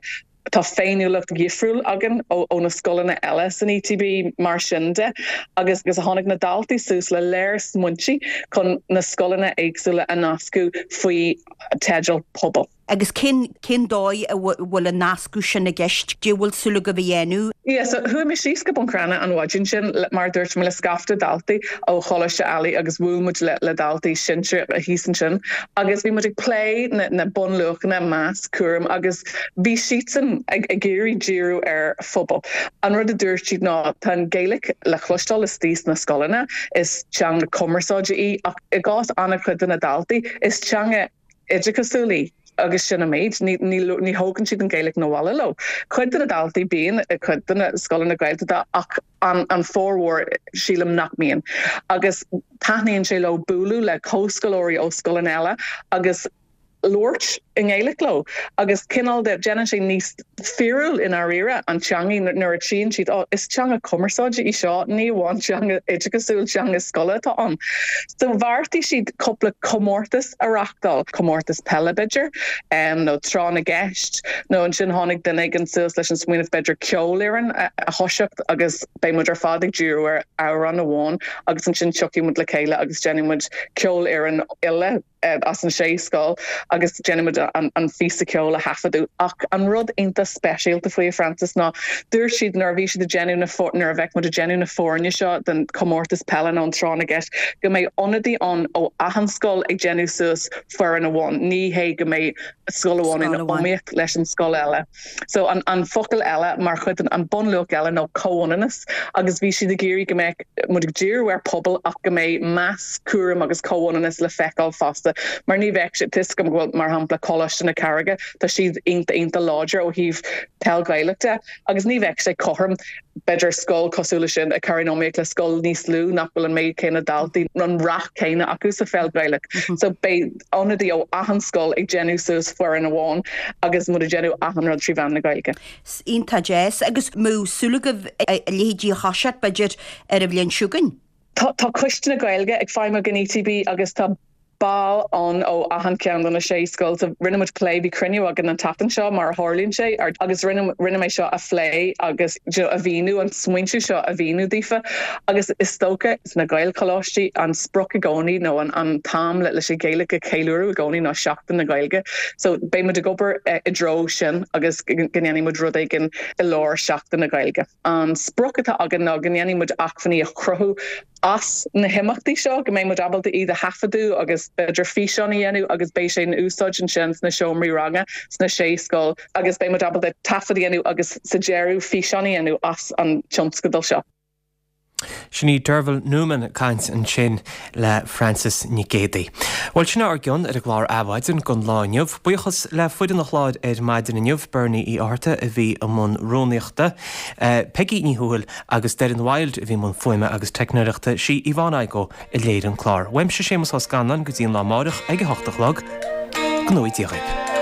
Tá féiniúlacht dhifriúil againn ó ó na scoileanna eile san ETB mar sin de agus agus tháinig na daltaí suas le léar smaointe chun na scoileanna éagsúla a nascadh faoi teideal pobal. Agus cén cén dóigh a bhfuil an nascadh sin i gceist? Cad é bhfuil súil agaibh a dhéanamh? Yeah, so chuaigh mé síos go Bun Cranncha an mhaidin sin mar a dúirt mé le scaifte daltaí ó Choláiste Ailigh agus bhuail muid le le daltaí sinsir thíos ansin agus bhí muid ag plé na na bunluachanna, meas, cúram agus bhí siadsan ag ag iarraidh díriú ar phobal. An rud a dúirt siad ná tá an Ghaeilge le cloisteáil istigh sna scoileanna, is teanga cumarsáide í ach i gcás an-chuid de na daltaí is teanga oideachasúil í agus sin an méid, ní ní ní thógann siad an Ghaeilge 'na bhaile leo. Cuid de na daltaí bíonn i cuid de na scoileanna Gaeltachta ach an an formhór sílim nach mbíonn. Agus taitníonn sé leo bualadh le comhscoláirí ó scoileanna eile agus labhairt i nGaeilge leo agus cineál de déanann sé níos fíorúil i ndáiríre an teanga nuair a tchíonn siad oh is teanga cumarsáide í seo ní amháin teanga oideachasúil teanga scoile atá ann. So bheartaigh siad cúpla comórtas a reáchtáil, comórtas peile b'fhéidir, um, nó tráth na gceist, nó ansin tháinig duine éigin suas leis an smaoineamh b'fhéidir ceolfhoireann a, a thoiseacht agus beidh muid ar fad ag díriú ar amhrán amháin agus ansin tiocfaidh muid le chéile agus déanfaidh muid ceolfhoireann uile as an sé scoil agus déanfaidh muid an an phíosa ceoil a thaifeadadh ach an rud iontach speisialta faoi Francis ná dúirt siad nuair a bhí siad ag déanamh na nuair a bheidh muid ag déanamh na foirne seo den comórtas peile nó an tráth na gceist go mbeidh ionadaí ann ó achan scoil ag déanamh suas foireann amháin ní hé go mbeidh scoil amháin in iomaíocht leis an scoil eile. So an an focal eile mar chuid den an bunluach eile ná comhionannas agus bhí siad ag iarraidh go mbeadh muid ag díriú ar pobal ach go mbeidh meas, cúram agus comhionannas le feiceáil fosta mar ní bheadh sé tá a fhios agam go bhfuil mar shampla Coláiste na Carraige tá siad iontach iontach láidir ó thaobh peil Ghaelach de agus ní bheadh sé cothrom b'fhéidir scoil cosúil leis sin a chur in iomaíocht le scoil níos lú nach bhfuil an méid céanna daltaí nó an rath céanna acu sa pheil Ghaelach. So beidh ionadaí ó achan scoil ag déanamh suas foireann amháin agus muid ag déanamh achan rud trí mheán na Gaeilge. Iontach deas. Agus mbeadh súil agaibh a leithéidí a thoiseacht b'fhéidir ar an bhliain seo chugainn? Tá tá Coiste na Gaeilge ag feidhmiú in ETB agus tá ball ann ó achan ceann de na sé scoil. So rinne muid plé, bhí cruinniú againn an tseachtain seo mar a tharlaíonn sé agus rinne rinne mé seo a phlé agus you know a mhíniú, an smaointiú seo a mhíniú daofa agus is dócha sna Gaelcholáistí an sprioc i gcónaí nó an an t-am le leis an Ghaeilge a cheiliúradh i gcónaí ná Seachtain na Gaeilge. So beidh muid ag obair i dtreo sin agus go ndéanfaidh muid rud éigin i lár Seachtain na Gaeilge. An sprioc atá againn ná go ndéanfaidh muid acmhainní a chruthú as na himeachtaí seo, go mbeidh muid ábalta iad a thaifeadadh agus b'fhéidir físeán a dhéanamh agus beidh sé in úsáid ansin sna seomraí ranga sna sé scoil agus beidh muid ábalta taifead a dhéanamh agus sa deireadh físeán a dhéanamh as an tionscadal seo. Sin í Derval Newman ag caint ansin le Frances Nic Géadaigh. Bhuel, sin ár gcion ar an gclár Adhmhaidin don lá inniu. Buíochas le foireann an chláir ar maidin inniu, Bernie Uí Fhátharta a bhí i mbun rúnaíochta, Peggy Ní Thuathail agus Doireann Wilde a bhí i mbun fuaime agus teicneoireachta, sí Yvonne Igoe a léirigh an clár. Uaimse Séamus Ó Scanláin go dtí an lá amáireach ag a hocht a chlog. Go ngnóthaí Dia dhaoibh.